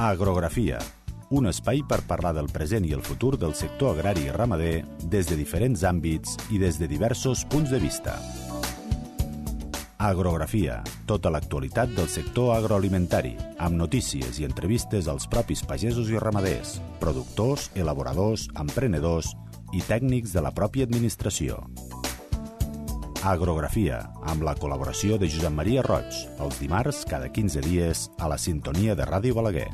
Agrografia, un espai per parlar del present i el futur del sector agrari i ramader des de diferents àmbits i des de diversos punts de vista. Agrografia, tota l'actualitat del sector agroalimentari, amb notícies i entrevistes als propis pagesos i ramaders, productors, elaboradors, emprenedors i tècnics de la pròpia administració. Agrografia, amb la col·laboració de Josep Maria Roig, els dimarts cada 15 dies a la sintonia de Ràdio Balaguer.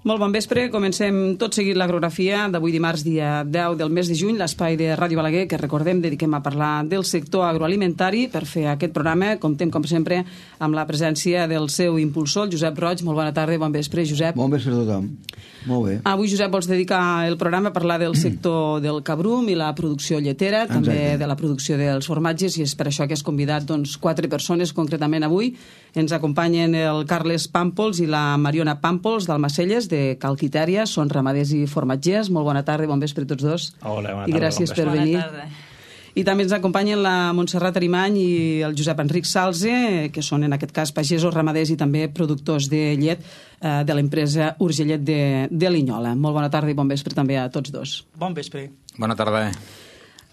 Molt bon vespre, comencem tot seguit l'agrografia d'avui dimarts, dia 10 del mes de juny, l'espai de Ràdio Balaguer, que recordem, dediquem a parlar del sector agroalimentari. Per fer aquest programa, comptem, com sempre, amb la presència del seu impulsor, Josep Roig. Molt bona tarda, bon vespre, Josep. Bon vespre a tothom. Molt bé. Avui, Josep, vols dedicar el programa a parlar del sector del cabrum i la producció lletera, també de la producció dels formatges, i és per això que has convidat 4 persones, concretament avui. Ens acompanyen el Carles Pàmpols i la Mariona Pàmpols d'Almacelles, de Calquitèria, són ramaders i formatgers. Molt bona tarda, bon vespre a tots dos. Hola, bona tarda. I gràcies per venir. I també ens acompanyen la Montserrat Arimany i el Josep Enric Salze, que són en aquest cas pagesos, ramaders i també productors de llet de l'empresa Urgellet de Linyola. Molt bona tarda i bon vespre també a tots dos. Bon vespre. Bona tarda.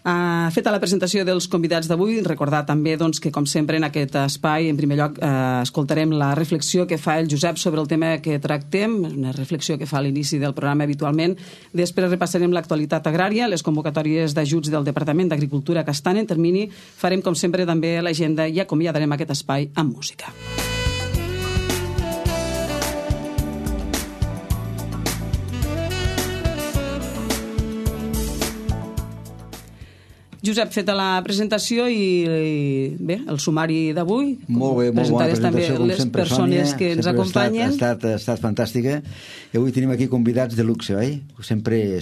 Feta la presentació dels convidats d'avui, recordar també que, com sempre, en aquest espai, en primer lloc, escoltarem la reflexió que fa el Josep sobre el tema que tractem, una reflexió que fa a l'inici del programa habitualment. Després repassarem l'actualitat agrària, les convocatòries d'ajuts del Departament d'Agricultura que estan en termini. Farem, com sempre, també l'agenda i acomiadarem aquest espai amb música. Josep, feta la presentació i bé, el sumari d'avui. Molt bé, molt bona presentació, com les sempre, persones Sònia, que ens acompanyen. Ha estat fantàstica. I avui tenim aquí convidats de luxe, oi? Sempre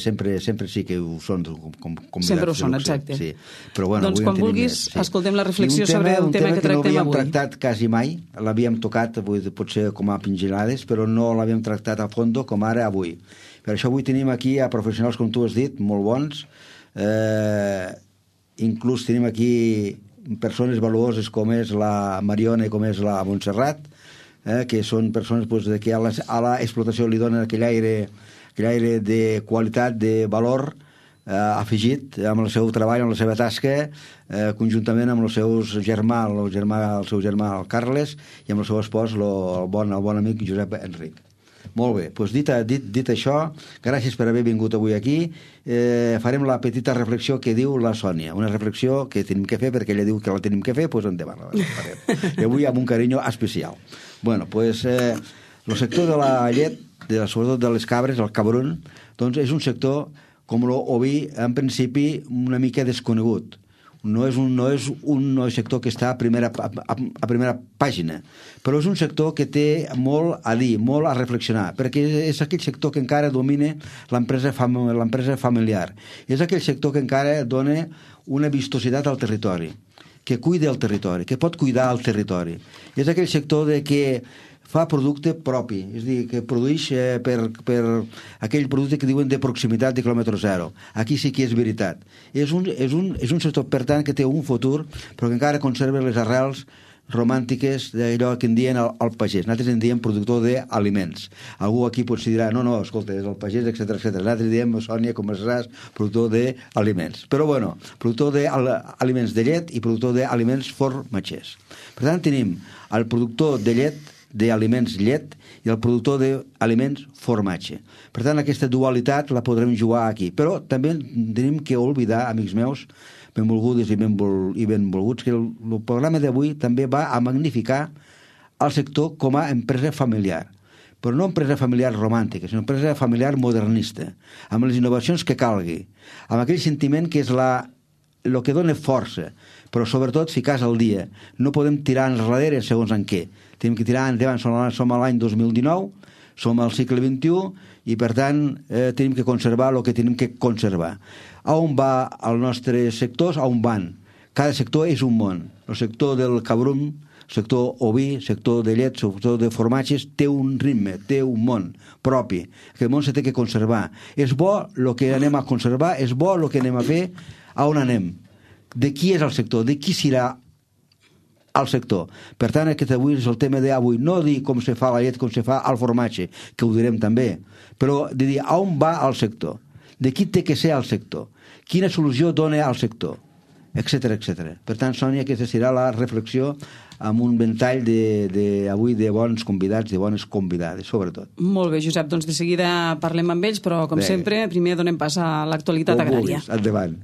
sí que ho són, convidats sempre ho són, de luxe. exacte. Sí. Però, bueno, doncs quan vulguis, escoltem la reflexió sobre el tema que tractem avui. No havíem tractat quasi mai, l'havíem tocat potser com a pinzellades, però no l'havíem tractat a fondo com ara avui. Per això avui tenim aquí a professionals, com tu has dit, molt bons, inclús tenim aquí persones valuoses com és la Mariona i com és la Montserrat, que són persones que a l'explotació li donen aquell aire de qualitat, de valor afegit amb el seu treball, amb la seva tasca, conjuntament amb el seu germà, el el Carles, i amb el seu espòs, el bon amic Josep Enric. Molt bé, doncs dit això, gràcies per haver vingut avui aquí. Farem la petita reflexió que diu la Sònia, una reflexió que tenim que fer perquè ella diu que la tenim que fer, doncs endavant, la farem. I avui amb un carinyo especial. Bueno, doncs el sector de la llet, sobretot de les cabres, el cabrum, doncs és un sector, com l'oví, en principi una mica desconegut. No és un sector que està a primera pàgina, però és un sector que té molt a dir, molt a reflexionar, perquè és aquell sector que encara domina l'empresa familiar. És aquell sector que encara dona una vistositat al territori, que cuida el territori, que pot cuidar el territori. És aquell sector que fa producte propi, és a dir, que produeix per aquell producte que diuen de proximitat de quilòmetre zero. Aquí sí que és veritat. És un sector, per tant, que té un futur, però que encara conserva les arrels romàntiques d'allò que en dien el pagès. Nosaltres en diem productor d'aliments. Algú aquí potser dirà, no, escolta, és el pagès, etc. Nosaltres diem, Sònia, com es saps, productor d'aliments. Però, bueno, productor d'aliments de llet i productor d'aliments formatgers. Per tant, tenim el productor de llet, d'aliments llet, i el productor d'aliments formatge. Per tant, aquesta dualitat la podrem jugar aquí. Però també tenim que oblidar, amics meus, benvolgudes i benvolguts, que el programa d'avui també va a magnificar el sector com a empresa familiar. Però no empresa familiar romàntica, sinó empresa familiar modernista, amb les innovacions que calgui, amb aquell sentiment que és el que dona força, però sobretot ficar al dia. No podem tirar enrere segons en què. Tenim que tirar endavant. Som a l'any 2019, som al segle XXI i, per tant, tenim que conservar el que tenim que conservar. A on va el nostre sector? A on van? Cada sector és un món. El sector del cabrum sector oví, sector de llet, sector de formatges, té un ritme, té un món propi. Aquest món se té que conservar. És bo el que anem a conservar, és bo el que anem a fer, a on anem. De qui és el sector, de qui serà al sector. Per tant, aquest avui és el tema d'avui, no dir com se fa la llet, com se fa el formatge, que ho direm també, però de dir on va el sector, de qui té que ser el sector, quina solució dona al sector, etc etc. Per tant, Sònia, aquesta serà la reflexió amb un ventall avui de bons convidats, de bones convidades, sobretot. Molt bé, Josep, doncs de seguida parlem amb ells, però com sempre, primer donem pas a l'actualitat agrària. Endavant.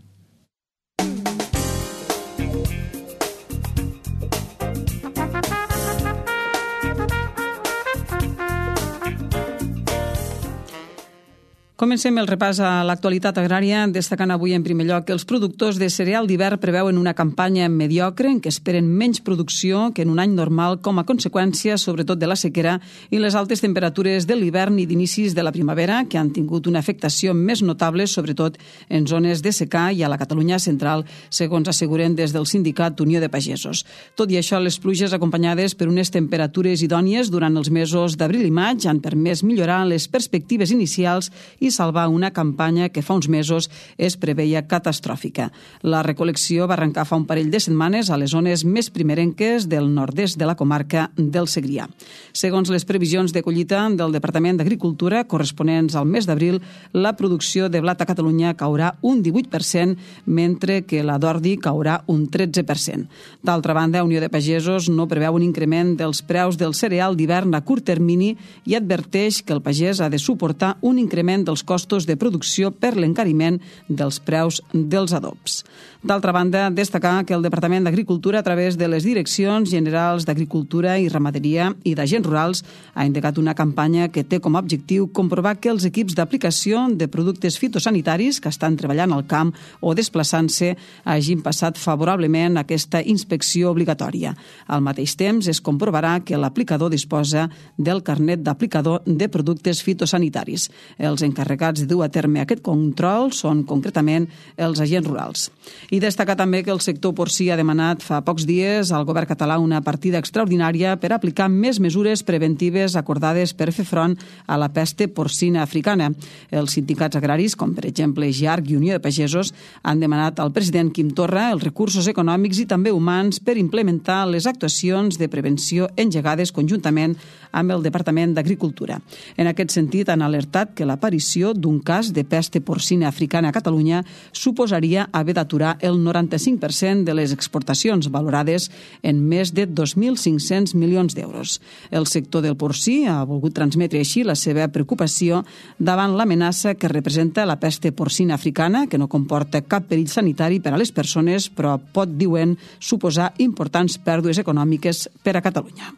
Comencem el repàs a l'actualitat agrària, destacant avui en primer lloc que els productors de cereal d'hivern preveuen una campanya mediocre en què esperen menys producció que en un any normal com a conseqüència, sobretot de la sequera i les altes temperatures de l'hivern i d'inicis de la primavera, que han tingut una afectació més notable, sobretot en zones de secà i a la Catalunya central, segons asseguren des del sindicat Unió de Pagesos. Tot i això, les pluges acompanyades per unes temperatures idònies durant els mesos d'abril i maig han permès millorar les perspectives inicials i salvar una campanya que fa uns mesos es preveia catastròfica. La recol·lecció va arrencar fa un parell de setmanes a les zones més primerenques del nord-est de la comarca del Segrià. Segons les previsions de collita del Departament d'Agricultura corresponents al mes d'abril, la producció de blat a Catalunya caurà un 18%, mentre que la d'ordi caurà un 13%. D'altra banda, Unió de Pagesos no preveu un increment dels preus del cereal d'hivern a curt termini i adverteix que el pagès ha de suportar un increment dels costos de producció per l'encariment dels preus dels adobs. D'altra banda, destacar que el Departament d'Agricultura, a través de les Direccions Generals d'Agricultura i Ramaderia i d'Agents Rurals, ha indicat una campanya que té com a objectiu comprovar que els equips d'aplicació de productes fitosanitaris que estan treballant al camp o desplaçant-se hagin passat favorablement aquesta inspecció obligatòria. Al mateix temps, es comprovarà que l'aplicador disposa del carnet d'aplicador de productes fitosanitaris. Els encarregats de dur a terme aquest control són concretament els agents rurals. I destacar també que el sector porcí ha demanat fa pocs dies al govern català una partida extraordinària per aplicar més mesures preventives acordades per fer front a la pesta porcina africana. Els sindicats agraris, com per exemple GIARC i Unió de Pagesos, han demanat al president Quim Torra els recursos econòmics i també humans per implementar les actuacions de prevenció engegades conjuntament amb el Departament d'Agricultura. En aquest sentit, han alertat que l'aparició d'un cas de pesta porcina africana a Catalunya suposaria haver d'aturar el 95% de les exportacions, valorades en més de 2.500 milions d'euros. El sector del porcí ha volgut transmetre així la seva preocupació davant l'amenaça que representa la pesta porcina africana, que no comporta cap perill sanitari per a les persones, però pot, diuen, suposar importants pèrdues econòmiques per a Catalunya.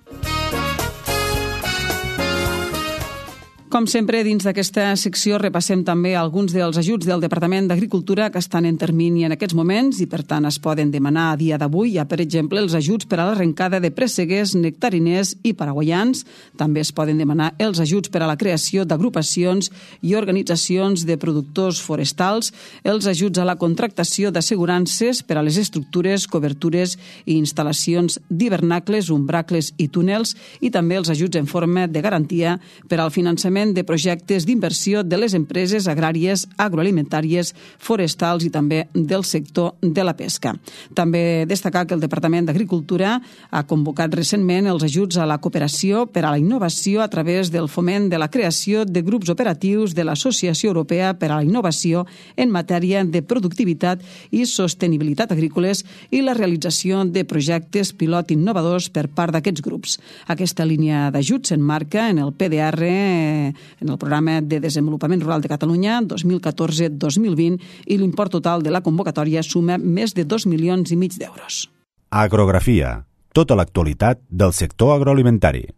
Com sempre, dins d'aquesta secció repassem també alguns dels ajuts del Departament d'Agricultura que estan en termini en aquests moments i, per tant, es poden demanar a dia d'avui. Hi ha, per exemple, els ajuts per a l'arrencada de presseguers, nectariners i paraguaians. També es poden demanar els ajuts per a la creació d'agrupacions i organitzacions de productors forestals, els ajuts a la contractació d'assegurances per a les estructures, cobertures i instal·lacions d'hivernacles, umbracles i túnels, i també els ajuts en forma de garantia per al finançament de projectes d'inversió de les empreses agràries, agroalimentàries, forestals i també del sector de la pesca. També destacar que el Departament d'Agricultura ha convocat recentment els ajuts a la cooperació per a la innovació a través del foment de la creació de grups operatius de l'Associació Europea per a la Innovació en matèria de productivitat i sostenibilitat agrícoles i la realització de projectes pilot innovadors per part d'aquests grups. Aquesta línia d'ajuts s'emmarca en el PDR, en el Programa de Desenvolupament Rural de Catalunya 2014-2020, i l'import total de la convocatòria suma més de 2,5 milions d'euros. Agrografia. Tota l'actualitat del sector agroalimentari.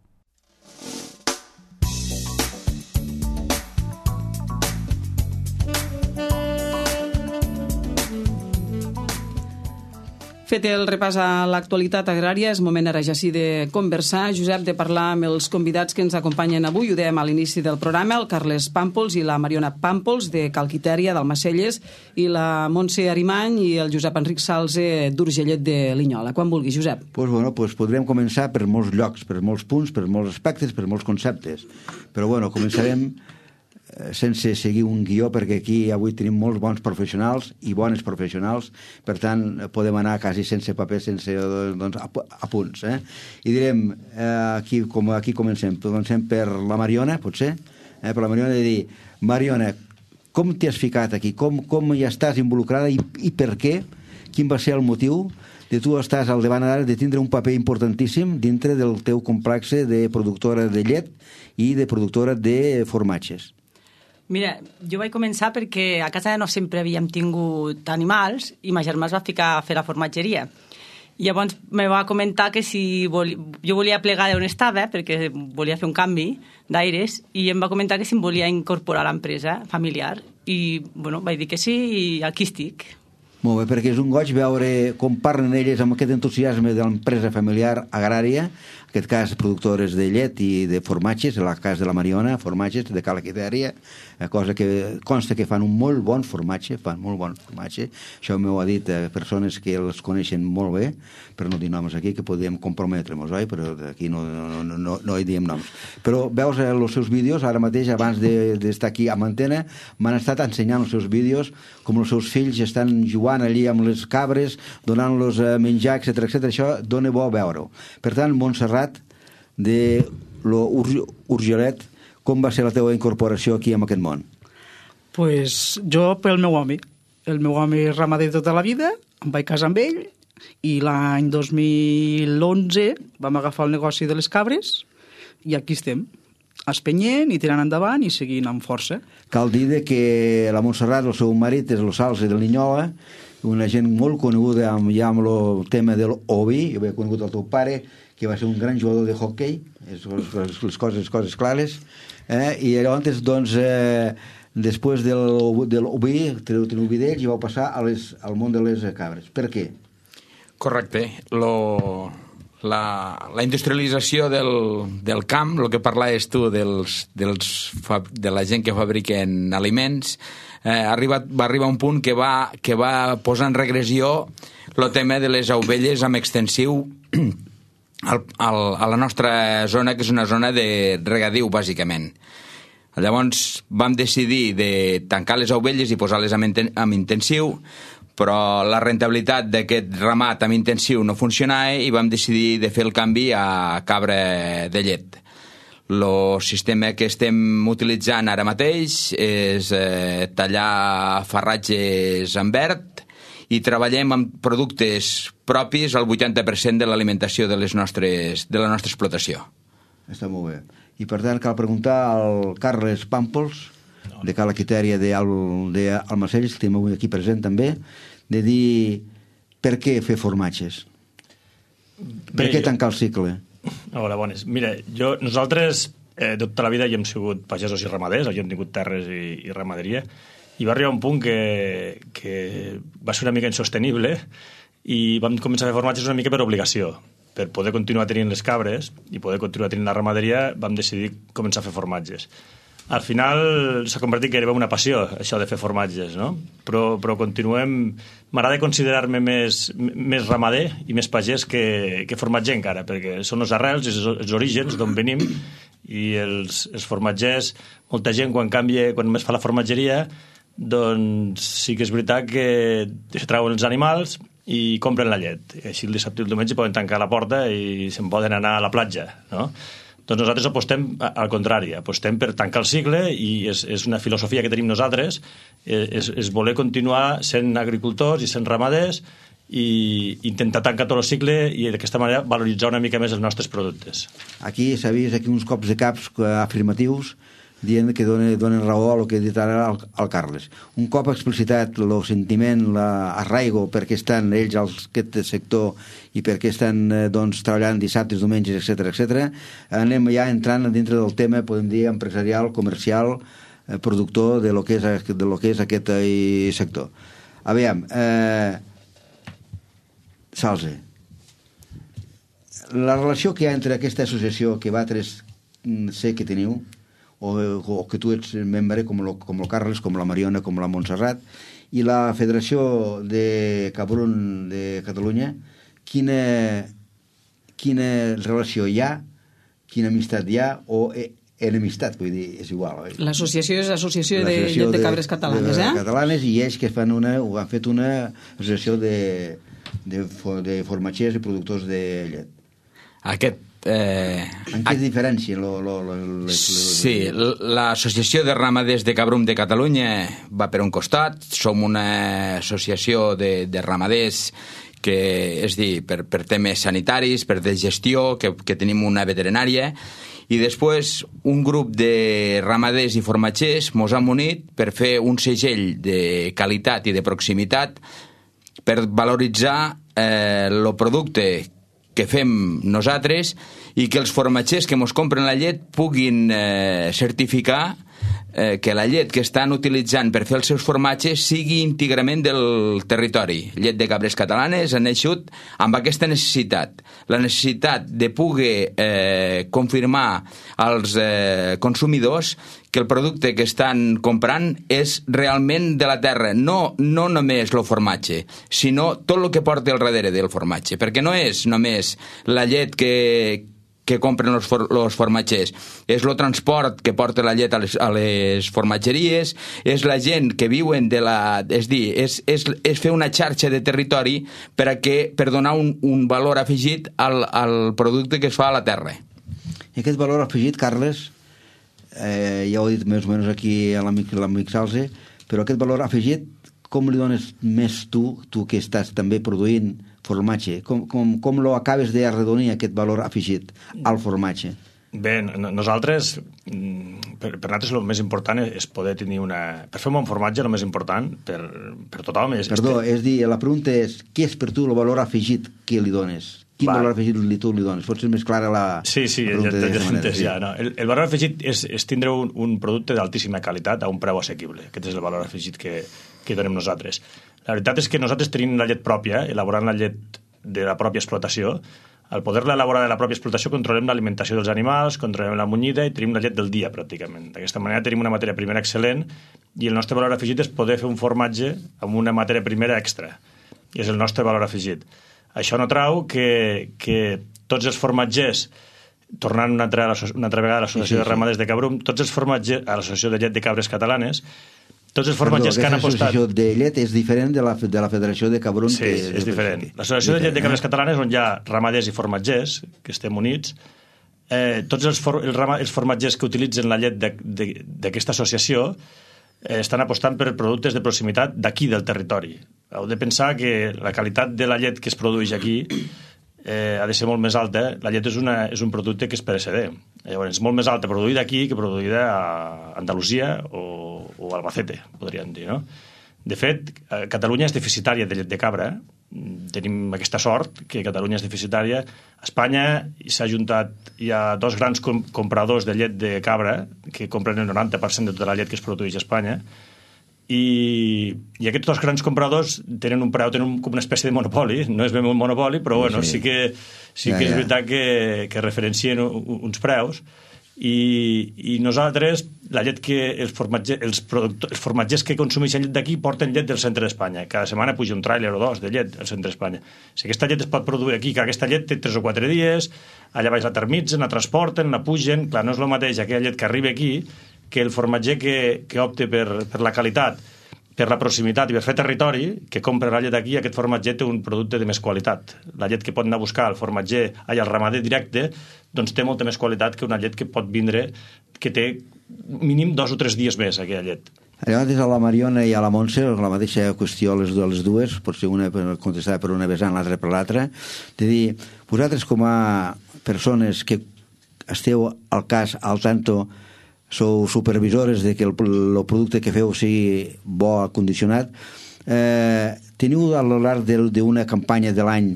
Fet el repàs a l'actualitat agrària, és moment ara ja sí de conversar. Josep, de parlar amb els convidats que ens acompanyen avui. Ho dèiem a l'inici del programa, el Carles Pàmpols i la Mariona Pàmpols, de Calquitèria, d'Almacelles, i la Montse Arimany i el Josep Enric Salze, d'Urgellet de Linyola. Quan vulgui, Josep. Doncs podrem començar per molts llocs, per molts punts, per molts aspectes, per molts conceptes. Però començarem sense seguir un guió, perquè aquí avui tenim molts bons professionals i bones professionals, per tant podem anar quasi sense paper, sense apunts. I direm, aquí comencem per la Mariona, potser, per la Mariona, de dir, Mariona, com t'hi has ficat aquí, com hi estàs involucrada i per què, quin va ser el motiu de tu estàs al davant ara de tindre un paper importantíssim dintre del teu complex de productora de llet i de productora de formatges. Mira, jo vaig començar perquè a casa no sempre havíem tingut animals i ma germà es va ficar a fer la formatgeria. I llavors me va comentar que si jo volia plegar d'on estava, perquè volia fer un canvi d'aires, i em va comentar que si em volia incorporar a l'empresa familiar. I vaig dir que sí i aquí estic. Molt bé, perquè és un goig veure com parlen elles amb aquest entusiasme de l'empresa familiar agrària, en aquest cas productores de llet i de formatges, en el cas de la Mariona, formatges de Calquitèria, cosa que consta que fan un molt bon formatge, això m'ho ha dit persones que els coneixen molt bé, per no dir noms aquí, que podíem comprometre-nos, oi? Però aquí no hi diem noms. Però veus els seus vídeos, ara mateix, abans d'estar aquí amb antena, m'han estat ensenyant els seus vídeos, com els seus fills estan jugant allí amb les cabres, donant-los menjar, etc. Això dona bo veure-ho. Per tant, Montserrat, de l'Urgellet, com va ser la teva incorporació aquí en aquest món? Pues jo pel meu home. El meu home és ramader tota la vida, em vaig casar amb ell, i l'any 2011 vam agafar el negoci de les cabres i aquí estem, espenyent i tirant endavant i seguint amb força. Cal dir que la Montserrat, el seu marit, és el Salze de Linyola, una gent molt coneguda ja amb el tema del oví. Jo havia conegut el teu pare, que va ser un gran jugador de hockey, les coses clares, i llavors, doncs, després del oví, teniu oví d'ells, i vau passar al món de les cabres. Per què? Correcte. La industrialització del camp, el que parlaves tu de la gent que fabriquen aliments, va arribar un punt que va posar en regressió el tema de les ovelles amb extensiu a la nostra zona, que és una zona de regadiu, bàsicament. Llavors vam decidir de tancar les ovelles i posar-les amb intensiu, però la rentabilitat d'aquest ramat amb intensiu no funcionava i vam decidir de fer el canvi a cabra de llet. El sistema que estem utilitzant ara mateix és tallar farratges en verd i treballem amb productes propis al 80% de l'alimentació de la nostra explotació. Està molt bé. I per tant cal preguntar al Carles Pàmpols, de Calquitèria d'Almacelles, que tenim avui aquí present també, de dir per què fer formatges? Per què tancar el cicle? Hola, bones. Mira, nosaltres tota la vida hi hem sigut pagesos i ramaders, hi hem tingut terres i ramaderia, i va arribar un punt que va ser una mica insostenible i vam començar a fer formatges una mica per obligació. Per poder continuar tenint les cabres i poder continuar tenint la ramaderia vam decidir començar a fer formatges. Al final s'ha convertit que era una passió, això de fer formatges, no? Però continuem... M'agrada considerar-me més ramader i més pagès que formatger encara, perquè són els arrels i els orígens d'on venim, i els formatgers, molta gent quan més fa la formatgeria, doncs sí que és veritat que se trauen els animals i compren la llet. Així el dissabte i el diumenge poden tancar la porta i se'n poden anar a la platja, no? Doncs nosaltres apostem al contrari, apostem per tancar el cicle, i és una filosofia que tenim nosaltres, és voler continuar sent agricultors i sent ramaders i intentar tancar tot el cicle i d'aquesta manera valoritzar una mica més els nostres productes. Aquí s'ha vist uns cops de caps afirmatius dient que donen raó a el que ha dit ara el Carles. Un cop explicitat el sentiment, l'arraigo, perquè estan ells al aquest sector i perquè estan treballant dissabtes, diumenges, etc., anem ja entrant dintre del tema, podem dir, empresarial, comercial, productor de lo que és aquest sector. Aviam, Salze. La relació que hi ha entre aquesta associació que vosaltres sé que teniu, o que tu ets membre, com el Carles, com la Mariona, com la Montserrat, i la Federació de Cabrum de Catalunya, quina relació hi ha, quina amistat hi ha, o enemistat, vull dir, és igual. Oi? L'associació és l'Associació de Llet de Cabres Catalanes, catalanes, i ells que han fet una associació de formatgers i productors de llet. En què es diferencia? Sí, l'Associació de Ramaders de Cabrum de Catalunya va per un costat, som una associació de ramaders que, és dir, per temes sanitaris, per de gestió, que tenim una veterinària, i després un grup de ramaders i formatgers mos hem unit per fer un segell de qualitat i de proximitat per valoritzar el producte que fem nosaltres i que els formatgers que mos compren la llet puguin certificar que la llet que estan utilitzant per fer els seus formatges sigui íntegrament del territori. Llet de Cabres Catalanes ha naixut amb aquesta necessitat, la necessitat de poder confirmar als consumidors que el producte que estan comprant és realment de la terra, no només el formatge, sinó tot el que porta al darrere del formatge, perquè no és només la llet que compren els formatgers, és el transport que porta la llet a les formatgeries, és la gent que viuen de la... És dir, és fer una xarxa de territori per donar un valor afegit al producte que es fa a la terra. I aquest valor afegit, Carles, ja ho he dit més o menys aquí a l'amic Salze, però aquest valor afegit, com li dones més tu que estàs també produint formatge? Com lo acabes d'arredonir aquest valor afegit al formatge? Bé, nosaltres, per nosaltres el més important és poder tenir una... Per fer un bon formatge el més important per tothom és... Perdó, és dir, la pregunta és, què és per tu el valor afegit que li dones? Quin valor afegit tu li dones? Pot ser més clara la pregunta d'aquesta manera. Sí. No. El valor afegit és tindre un producte d'altíssima qualitat a un preu assequible. Aquest és el valor afegit que donem nosaltres. La veritat és que nosaltres tenim la llet pròpia, elaborant la llet de la pròpia explotació. Al poder-la elaborar de la pròpia explotació controlem l'alimentació dels animals, controlem la munyida i tenim la llet del dia, pràcticament. D'aquesta manera tenim una matèria primera excel·lent i el nostre valor afegit és poder fer un formatge amb una matèria primera extra. I és el nostre valor afegit. Això no trau que tots els formatgers, tornant una altra vegada a l'Associació de Ramaders de Cabrum, tots els formatgers, a l'Associació de Llet de Cabres Catalanes, tots els formatgers que han apostat... L'associació de llet és diferent de la Federació de Cabrum. Sí, és diferent. L'Associació de Llet de Cabres Catalanes, on hi ha ramaders i formatgers, que estem units, tots els formatgers que utilitzen la llet d'aquesta associació estan apostant per productes de proximitat d'aquí, del territori. Heu de pensar que la qualitat de la llet que es produeix aquí ha de ser molt més alta. La llet és un producte que és pereceder. Llavors, és molt més alta produïda aquí que produïda a Andalusia o Albacete, podríem dir, no? De fet, Catalunya és deficitària de llet de cabra. Tenim aquesta sort, que Catalunya és deficitària. A Espanya hi ha dos grans compradors de llet de cabra que compren el 90% de tota la llet que es produeix a Espanya. I aquests dos grans compradors tenen un preu, tenen com una espècie de monopoli. No és ben un monopoli, però bueno, sí que és veritat que referencien uns preus. I nosaltres, la llet que els formatgers que consumeixen llet d'aquí porten llet del centre d'Espanya. Cada setmana puja un tràiler o dos de llet al centre d'Espanya. Si aquesta llet es pot produir aquí, que aquesta llet té 3 o 4 dies, allà baix la termitzen, la transporten, la pugen. Clar, no és el mateix aquella llet que arriba aquí que el formatger que opta per la qualitat, per la proximitat i per fer territori, que compra la llet aquí, aquest formatger té un producte de més qualitat. La llet que pot anar a buscar el formatger, al ramader directe, doncs té molta més qualitat que una llet que pot vindre, que té mínim 2 o 3 dies més, aquella llet. Llavors, a la Mariona i a la Montse, la mateixa qüestió les dues, potser una contestada per una vessant, l'altra per l'altra, de dir, vosaltres com a persones que esteu al cas, al tanto, sou supervisores de que el producte que feu sigui bo, acondicionat, teniu a lo llarg d'una campanya de l'any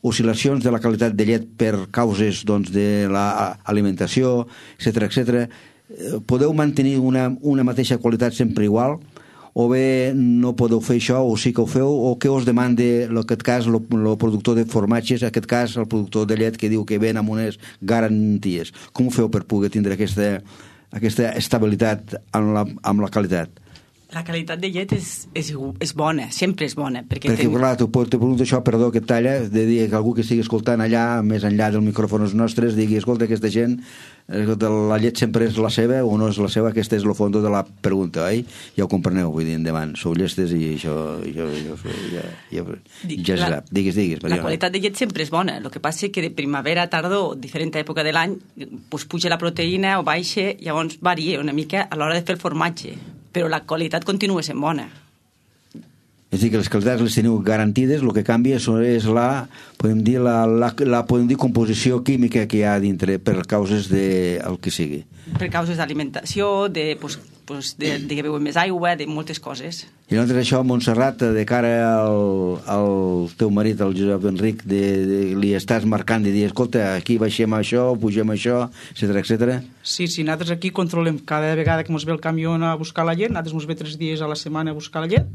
oscil·lacions de la qualitat de llet per causes de l'alimentació, etc. Podeu mantenir una mateixa qualitat sempre igual o bé no podeu fer això, o sí que ho feu, o què us demanda, en aquest cas, el productor de formatges, en aquest cas, el productor de llet, que diu que ven amb unes garanties. Com ho feu per poder tindre aquesta estabilitat amb la qualitat? La qualitat de llet és bona, sempre és bona. Perquè clar, te pregunto això, perdó que et talla, de dir que algú que estigui escoltant allà, més enllà dels micròfons nostres, digui, escolta, aquesta gent, la llet sempre és la seva o no és la seva, aquesta és el fons de la pregunta, oi? Ja ho compreneu, vull dir, endavant, sou llestes i això ja se sap. Digues, Mariona. La qualitat de llet sempre és bona, el que passa és que de primavera a tardor, diferent època de l'any, puja la proteïna o baixa, llavors varia una mica a l'hora de fer el formatge, però la qualitat continua sent bona. És a dir, que les qualitats les teniu garantides, el que canvia és podem dir, composició química que hi ha dintre per causes del que sigui. Per causes d'alimentació, de que beuen més aigua, de moltes coses. I llavors això, Montserrat, de cara al teu marit, el Josep Enric, li estàs marcant de dir, escolta, aquí baixem això, pugem això, etcètera? Sí, nosaltres aquí controlem cada vegada que ens ve el camió a buscar la llet, nosaltres ens ve 3 dies a la setmana a buscar la llet,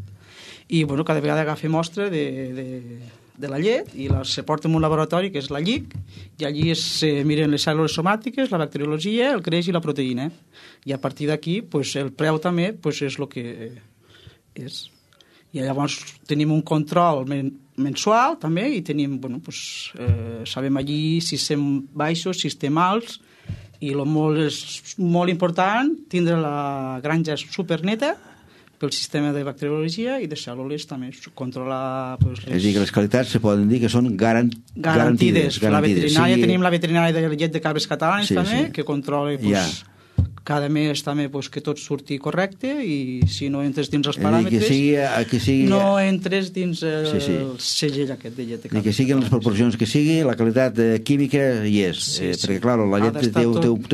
i cada vegada agafem mostra de la llet i se porta en un laboratori que és la LIC, i allí se miren les cèl·lules somàtiques, la bacteriologia, el creix i la proteïna, i a partir d'aquí el preu també és el que és. I llavors tenim un control mensual també, i tenim, sabem allí si estem baixos, si estem alts, i és molt important tindre la granja superneta pel sistema de bacteriologia i de cèl·lules també, controlar... És a dir, que les qualitats se poden dir que són garantides. La veterinària, tenim la veterinària de llet de cabres catalans també, que controla cada mes també que tot surti correcte, i si no entres dins els paràmetres, no entres dins el segell aquest de llet de cabres. Que siguin les proporcions que sigui, la qualitat química hi és, perquè clar, la llet té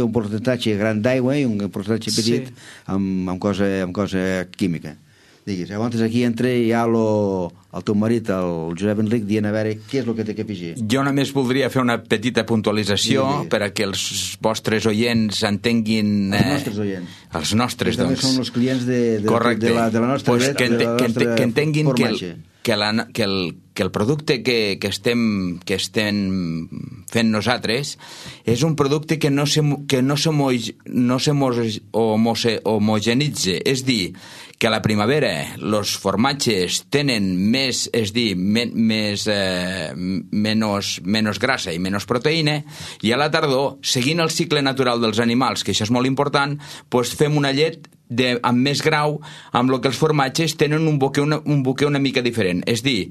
un percentatge gran d'aigua i un percentatge petit amb cosa química. Digues, llavors aquí entra ja el teu marit, el Josep Enric, dient a veure què és el que té que afegir. Jo només voldria fer una petita puntualització perquè els vostres oients entenguin... Els nostres oients. Els nostres, doncs. També són els clients de la nostra llet, que entenguin que el producte que estem fent nosaltres és un producte que no homogenitza, és dir, que a la primavera els formatges tenen menys grassa i menys proteïna, i a la tardor, seguint el cicle natural dels animals, que això és molt important, fem una llet amb més grau, amb el que els formatges tenen un boquer una mica diferent. És dir,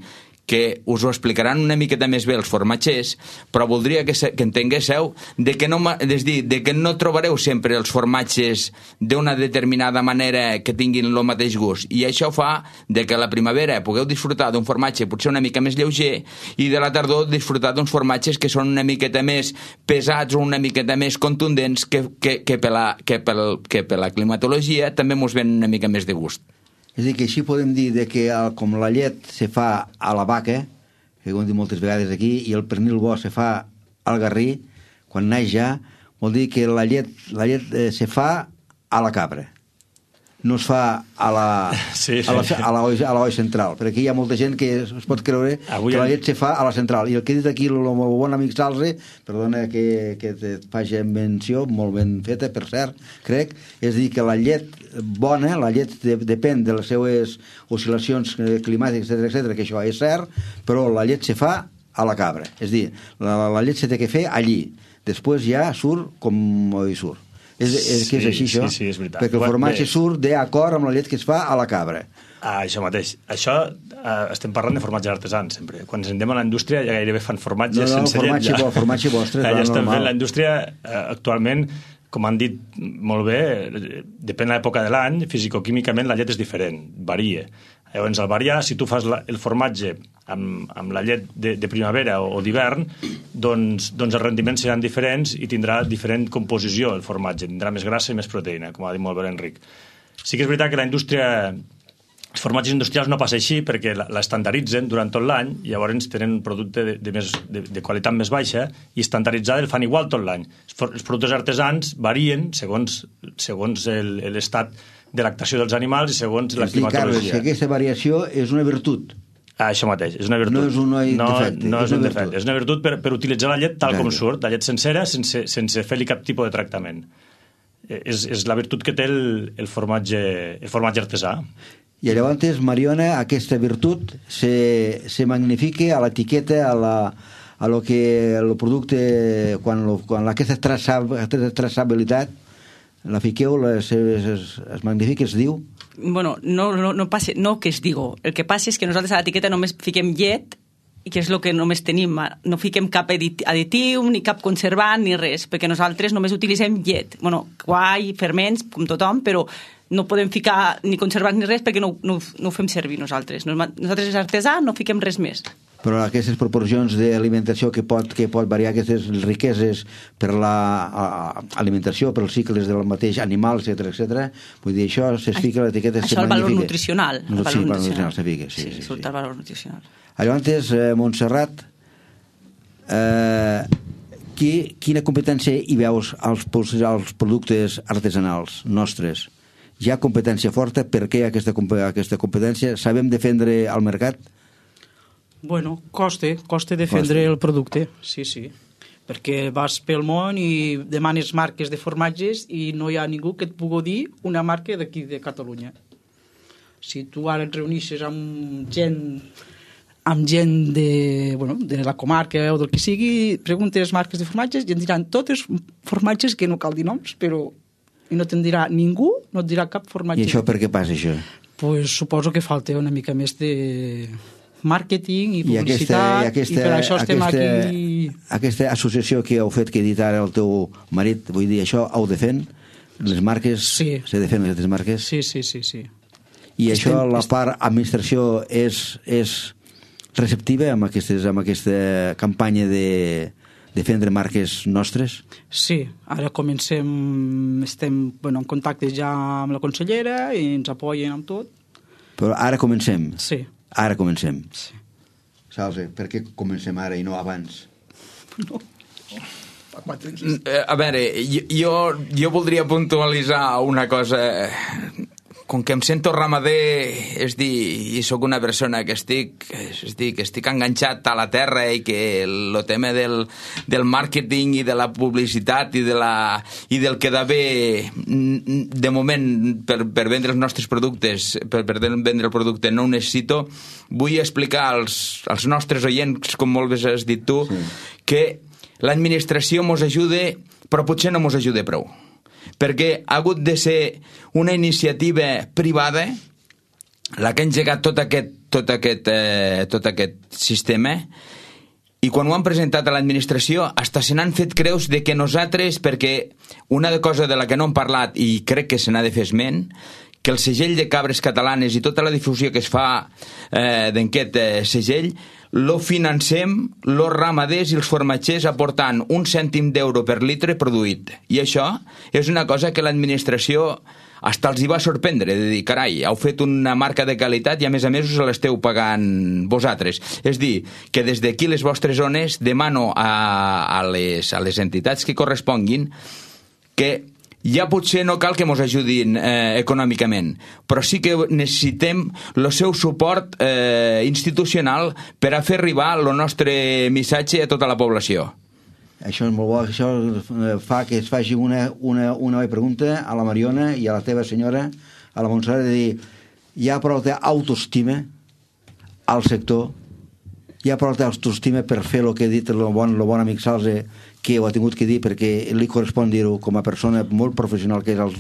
que us ho explicaran una miqueta més bé els formatgers, però voldria que entenguéssiu que no trobareu sempre els formatges d'una determinada manera que tinguin el mateix gust, i això fa que a la primavera pugueu disfrutar d'un formatge potser una mica més lleuger, i de la tardor disfrutar d'uns formatges que són una miqueta més pesats o una miqueta més contundents que per la climatologia també mos ven una mica més de gust. És a dir, que així podem dir que com la llet se fa a la vaca, que ho hem dit moltes vegades aquí, i el pernil bo se fa al garrí, quan naix ja, vol dir que la llet se fa a la cabra. No es fa a l'oi central, perquè aquí hi ha molta gent que es pot creure que la llet se fa a la central, i el que he dit aquí el bon amic Salze, perdona que et faci menció, molt ben feta, per cert, crec, és dir, que la llet bona, la llet depèn de les seues oscil·lacions climàtiques, etc., que això és cert, però la llet se fa a la cabra, és dir, la llet se té que fer allí, després ja surt com hi surt. És així, això? Sí, és veritat. Perquè el formatge surt d'acord amb la llet que es fa a la cabra. Això mateix. Això estem parlant de formatges artesans, sempre. Quan ens anem a la indústria ja gairebé fan formatges sense llet. No, formatge vostre. Ja estem fent la indústria actualment, com han dit molt bé, depèn de l'època de l'any, fisicoquímicament la llet és diferent, varia. Llavors, al variar, si tu fas el formatge amb la llet de primavera o d'hivern, doncs els rendiments seran diferents i tindrà diferent composició el formatge, tindrà més grassa i més proteïna, com ha dit molt bé l'Enric. Sí que és veritat que la indústria, els formatges industrials no passa així perquè l'estandaritzen durant tot l'any i llavors tenen un producte de qualitat més baixa i estandarditzada el fan igual tot l'any. Els productes artesans varien segons l'estat de lactació dels animals i segons la Carles, climatologia. si aquesta variació és una virtut. Això mateix, és una virtut. No és un defecte. No és un defecte, és una virtut per utilitzar la llet tal com surt, la llet sencera, sense fer-li cap tipus de tractament. És la virtut que té el formatge artesà. I llavors, Mariona, aquesta virtut se magnifica a l'etiqueta, a lo que el producte, quan aquesta traçabilitat la fiqueu, es magnifica, es diu? Bueno, no passa, no que es digo. El que passa és que nosaltres a l'etiqueta només fiquem llet, i que és el que només tenim. No fiquem cap additiu, ni cap conservant, ni res, perquè nosaltres només utilitzem llet. Bueno, guai, ferments, com tothom, però no podem ficar ni conservants ni res perquè no ho fem servir nosaltres. Nosaltres és artesà, no fiquem res més. Però aquestes proporcions d'alimentació que pot variar, aquestes riqueses per l'alimentació, per els cicles del mateix animal, etc. Vull dir, això se fica a l'etiqueta, se magnifica. Això el valor nutricional. Sí, el valor nutricional se fica, sí. Surt el valor nutricional. Llavors, Montserrat, quina competència hi veus als productes artesanals nostres? Hi ha competència forta? Per què aquesta competència? Sabem defendre el mercat? Bueno, costa defendre el producte, sí. Perquè vas pel món i demanes marques de formatges i no hi ha ningú que et pugui dir una marca d'aquí de Catalunya. Si tu ara et reunixes amb gent de la comarca o del que sigui, preguntes marques de formatges i et diran totes formatges que no cal dir noms, però no te'n dirà ningú, no et dirà cap formatge. I això per què passa, això? Pues suposo que falta una mica més de màrqueting i publicitat, i per això estem aquí. Aquesta associació que heu fet, que ha dit ara el teu marit, vull dir, això ho defèn? Les marques, se defèn aquestes marques? Sí. I això, la part administració és receptiva amb aquesta campanya de defendre marques nostres? Sí, ara estem en contacte ja amb la consellera i ens apoyen amb tot. Però ara comencem? Sí. Ara comencem. Sí. Salve, per què comencem ara i no abans? No. A veure, jo voldria puntualitzar una cosa. Com que em sento ramader, és dir, i sóc una persona que estic enganxat a la terra i que el tema del màrqueting i de la publicitat i del que d'haver de moment per vendre els nostres productes, per vendre el producte no ho necessito, vull explicar als nostres oients, com molt bé has dit tu, que l'administració mos ajuda, però potser no mos ajuda prou. Perquè ha hagut de ser una iniciativa privada la que ha engegat tot aquest sistema, i quan ho han presentat a l'administració hasta se n'han fet creus de que nosaltres, perquè una cosa de la que no hem parlat i crec que se n'ha de fer esment, que el segell de cabres catalanes i tota la difusió que es fa d'aquest segell lo financem los ramaders i els formatgers aportant 1 cèntim d'euro per litre produït. I això és una cosa que l'administració hasta els hi va sorprendre, de dir, carai, heu fet una marca de qualitat i a més us l'esteu pagant vosaltres. És dir, que des d'aquí les vostres zones demano a les entitats que corresponguin que ja potser no cal que ens ajudin econòmicament, però sí que necessitem el seu suport institucional per a fer arribar el nostre missatge a tota la població. Això és molt bo, això fa que es faci una pregunta a la Mariona i a la teva senyora, a la Montserrat, de dir, hi ha prou d'autoestima al sector, hi ha prou d'autoestima per fer el que ha dit el bon amic Salze, que ho ha tingut que dir perquè li correspon dir-ho com a persona molt professional que és el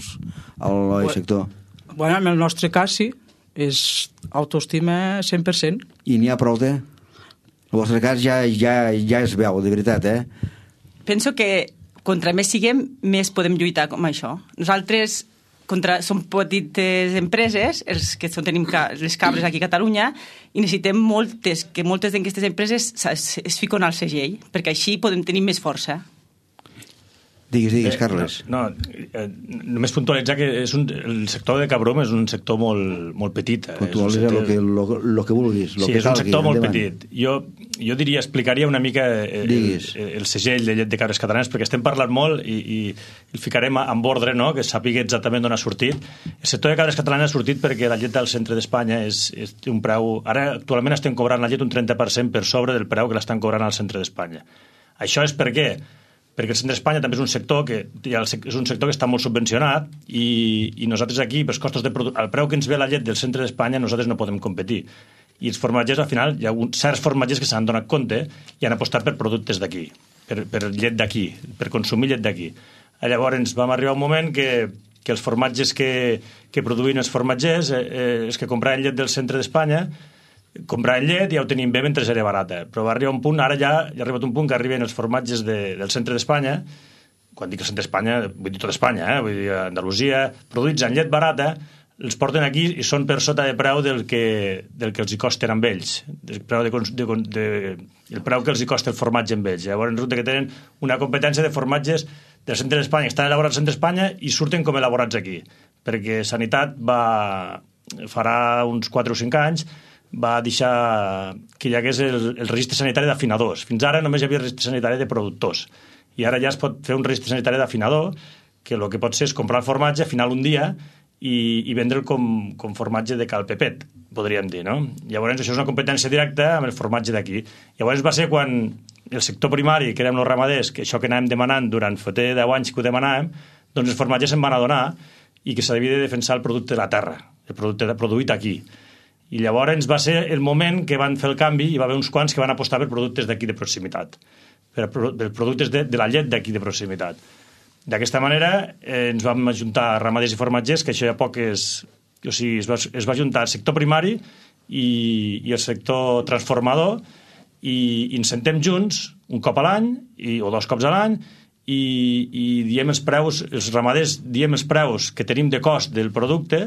sector. Bueno, en el nostre cas sí, és autoestima 100%. I n'hi ha prou de? El vostre cas ja es veu, de veritat, Penso que contra més siguem, més podem lluitar com això. Nosaltres som petites empreses, els que tenim les cabres aquí a Catalunya, i necessitem que moltes d'aquestes empreses es fiquen al segell, perquè així podem tenir més força. Digues, Carles. Només puntualitzar que el sector de Cabrom és un sector molt petit. Puntualitzar el que vulguis. Sí, és un sector molt petit. Jo jo diria, explicaria una mica el segell de llet de cabres catalanes, perquè estem parlant molt i el ficarem en ordre, no?, que sàpiga exactament d'on ha sortit. El sector de cabres catalanes ha sortit perquè la llet del centre d'Espanya té un preu... Ara, actualment estem cobrant la llet un 30% per sobre del preu que l'estan cobrant al centre d'Espanya. Això és per què? Perquè el centre d'Espanya també és un sector que està molt subvencionat i nosaltres aquí, pels costos de al preu que ens ve la llet del centre d'Espanya, nosaltres no podem competir. I els formatgers, al final, hi ha certs formatgers que s'han donat compte i han apostat per productes d'aquí, per llet d'aquí, per consumir llet d'aquí. Llavors vam arribar a un moment que els formatges que produïen els formatgers, els que compraven llet del centre d'Espanya, compraven llet i ja ho tenim bé mentre era barata. Però va arribar un punt, ara ja ha arribat un punt que arriben els formatges del centre d'Espanya, quan dic el centre d'Espanya, vull dir tot Espanya, vull dir Andalusia, produïts en llet barata, els porten aquí i són per sota de preu del que els hi costen amb ells, el preu que els hi costa el formatge amb ells. Llavors resulta que tenen una competència de formatges del centre d'Espanya, que estan elaborats al centre d'Espanya i surten com elaborats aquí, perquè Sanitat farà uns 4 o 5 anys va deixar que hi hagués el registre sanitari d'afinadors. Fins ara només hi havia el registre sanitari de productors i ara ja es pot fer un registre sanitari d'afinador, que el que pot ser és comprar el formatge, afinar-lo un dia i vendre'l com formatge de cal Pepet, podríem dir, no? Llavors això és una competència directa amb el formatge d'aquí. Llavors va ser quan el sector primari, que érem els ramaders, que això que anàvem demanant durant fa 10 anys que ho demanàvem, doncs els formatges se'n van adonar i que s'havia de defensar el producte de la terra, el producte produït aquí. I llavors va ser el moment que van fer el canvi i va haver uns quants que van apostar per productes d'aquí de proximitat, per productes de la llet d'aquí de proximitat. D'aquesta manera ens vam ajuntar ramaders i formatgers, que això ja poc es va ajuntar el sector primari i el sector transformador i ens sentem junts un cop a l'any o 2 cops a l'any i diem els preus, els ramaders diem els preus que tenim de cost del producte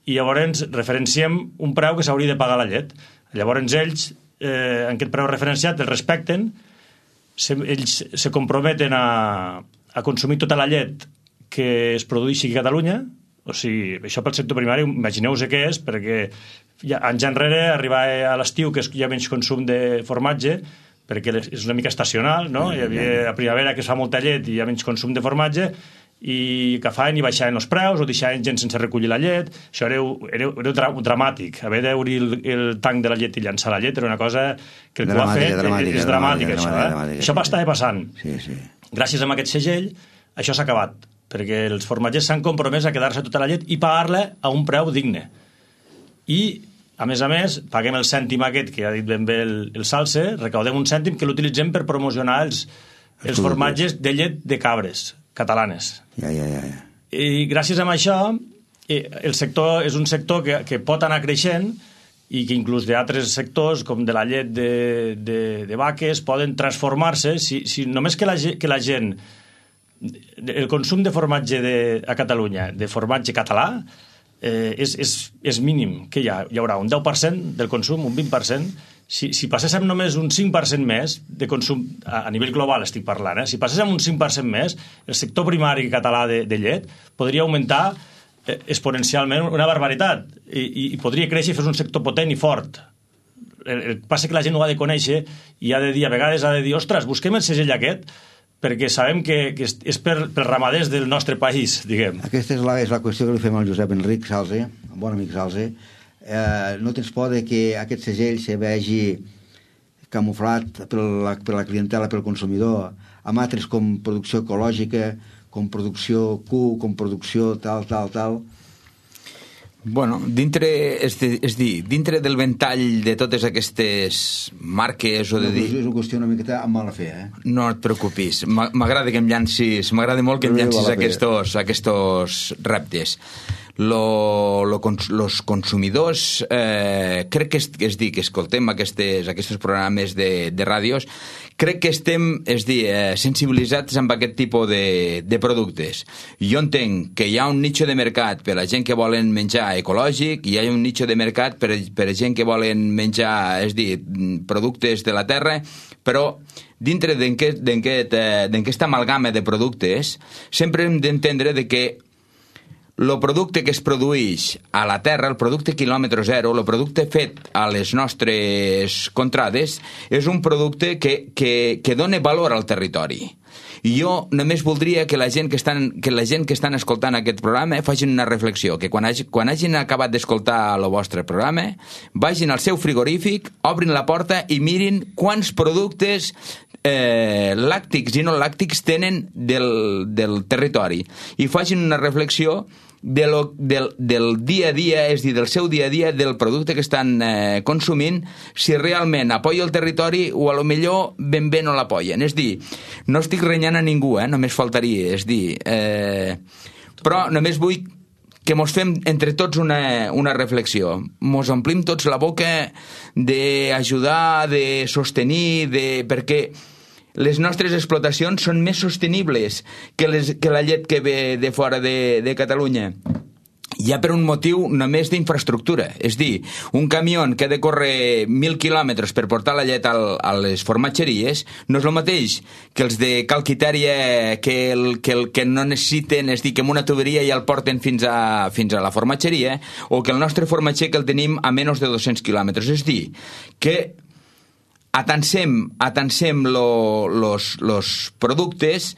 i llavors referenciem un preu que s'hauria de pagar la llet. Llavors ells, en aquest preu referenciat, el respecten, ells se comprometen a consumir tota la llet que es produeixi aquí a Catalunya. O sigui, això pel sector primari, imagineu-vos què és, perquè anys enrere, arribar a l'estiu, que hi ha menys consum de formatge, perquè és una mica estacional, no? Hi havia a primavera que es fa molta llet i hi ha menys consum de formatge, i que feien i baixaven els preus o deixaven gent sense recollir la llet. Això era dramàtic. Haver d'obrir el tanc de la llet i llançar la llet era una cosa que el que ho ha fet és dramàtica. Això estava passant. Gràcies a aquest segell, això s'ha acabat, perquè els formatgers s'han compromès a quedar-se tota la llet i pagar-la a un preu digne. I, a més, paguem el cèntim aquest, que ha dit ben bé el Salse, recaudem un cèntim que l'utilitzem per promocionar els formatges de llet de cabres catalanes. I gràcies a això, el sector és un sector que pot anar creixent i que inclús d'altres sectors, com de la llet de vaques, poden transformar-se si només que la gent... El consum de formatge a Catalunya, de formatge català, és mínim. Que hi haurà un 10% del consum, un 20%. Si passéssim només un 5% més de consum, a nivell global estic parlant, si passéssim un 5% més, el sector primari català de llet podria augmentar exponencialment una barbaritat i podria créixer i fer un sector potent i fort. El que passa que la gent ho ha de conèixer i ha de dir, a vegades ha de dir, ostres, busquem el segell aquest, perquè sabem que és per ramaders del nostre país, diguem. Aquesta és la qüestió que li fem al Josep Enric Salse, el bon amic Salse. No tens por de que aquest segell se vegi camuflat per la clientela, pel consumidor, amb altres com producció ecològica, com producció Q, com producció tal. Bueno, dintre del ventall de totes aquestes marques o de dir... És una qüestió una miqueta amb mala fe, No et preocupis, m'agrada m'agrada molt que em llancis aquests reptes. Los consumidors, crec que escoltem aquests programes de ràdios, crec que estem, sensibilitzats amb aquest tipus de productes. Jo entenc que hi ha un nicho de mercat per a gent que volen menjar ecològic, i hi ha un nicho de mercat per a gent que volen menjar, productes de la terra, però dintre d'aquesta amalgama de productes sempre hem d'entendre que el producte que es produeix a la terra, el producte quilòmetre zero, el producte fet a les nostres contrades, és un producte que dona valor al territori. I jo només voldria que la gent que estan escoltant aquest programa facin una reflexió, que quan hagin acabat d'escoltar el vostre programa, vagin al seu frigorífic, obrin la porta i mirin quants productes làctics i no làctics tenen del territori. I facin una reflexió del dia a dia, és a dir, del seu dia a dia, del producte que estan consumint, si realment apoya el territori o a lo millor ben bé no l'apoyen. És dir, no estic renyant a ningú, només faltaria, és dir, però només vull que mos fem entre tots una reflexió. Mos omplim tots la boca d'ajudar, de sostenir, perquè les nostres explotacions són més sostenibles que la llet que ve de fora de Catalunya. Ja per un motiu només d'infraestructura. És dir, un camió que ha de córrer 1.000 quilòmetres per portar la llet a les formatgeries no és el mateix que els de Calquitèria que no necessiten, és dir, que amb una tuberia ja el porten fins a la formatgeria, o que el nostre formatger que el tenim a menys de 200 quilòmetres. És dir, que atansem los productes,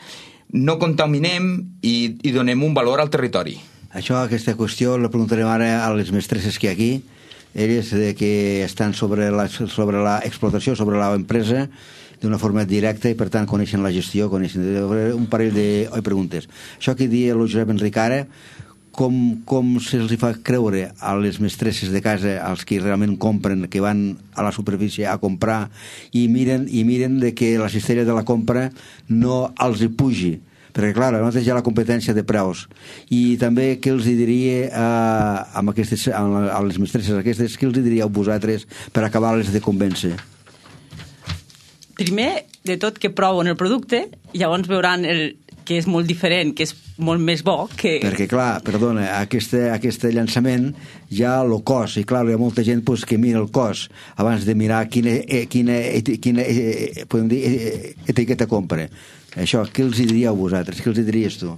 no contaminem i donem un valor al territori. Aquesta qüestió la preguntarem ara a les mestresses que hi ha aquí, elles que estan sobre l'explotació, sobre l'empresa, d'una forma directa i per tant coneixen la gestió, coneixen un parell de preguntes. Això que dia el Josep Enric ara, com se'ls fa creure a les mestresses de casa, als que realment compren, que van a la superfície a comprar i miren de que la cistella de la compra no els hi pugi, perquè clar, nosaltres hi ha la competència de preus. I també què els diria a les mestresses aquestes, què els diríeu vosaltres per acabar-les de convèncer? Primer de tot que proven el producte i llavors veuran que és molt diferent, que és molt més bo que... Perquè, clar, perdona, aquest llançament ja el cost, i clar, hi ha molta gent que mira el cost abans de mirar quina podem dir, etiqueta compra. Això, què els diríeu vosaltres? Què els diries tu?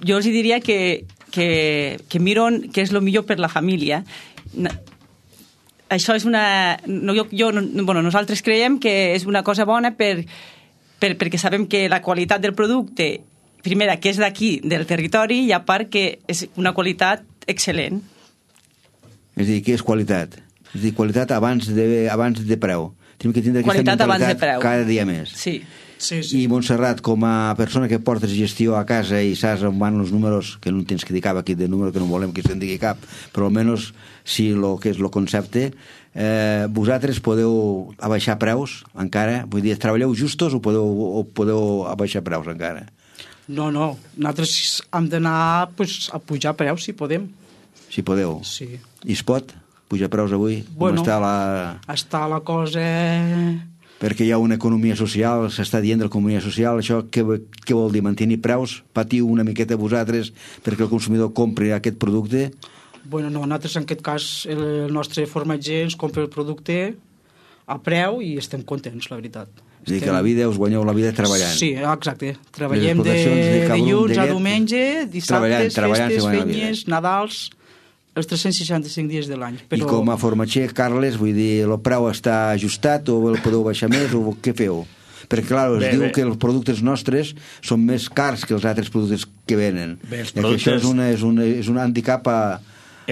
Jo els diria que miren què és el millor per la família. Això és una... nosaltres creiem que és una cosa bona perquè sabem que la qualitat del producte, primera, que és d'aquí, del territori, i a part que és una qualitat excel·lent. És a dir, què és qualitat? És a dir, qualitat abans de preu. Tenim que tindre aquesta mentalitat cada dia més. Sí. I Montserrat, com a persona que portes gestió a casa i saps on van els números, que no tens que dir cap aquí de número, que no volem que se'n digui cap, però almenys si el que és el concepte, vosaltres podeu abaixar preus encara? Vull dir, treballeu justos o podeu abaixar preus encara? No, nosaltres hem d'anar a pujar preus si podem. Si podeu? Sí. I es pot pujar preus avui? Bueno, està la cosa... Perquè hi ha una economia social, s'està dient de l'economia social, això què vol dir? Mantenir preus? Patiu una miqueta vosaltres perquè el consumidor compri aquest producte? Bueno, no, nosaltres en aquest cas el nostre formatger ens compra el producte a preu i estem contents, la veritat. És a dir, que la vida, us guanyeu la vida treballant. Sí, exacte. Treballem de dilluns a diumenge, dissabtes, festes, fenyes, Nadals... els 365 dies de l'any. Però... I com a formatger, Carles, vull dir, el preu està ajustat o el podeu baixar més o què feu? Perquè, clar, es diu que els productes nostres són més cars que els altres productes que venen. Això és un handicap a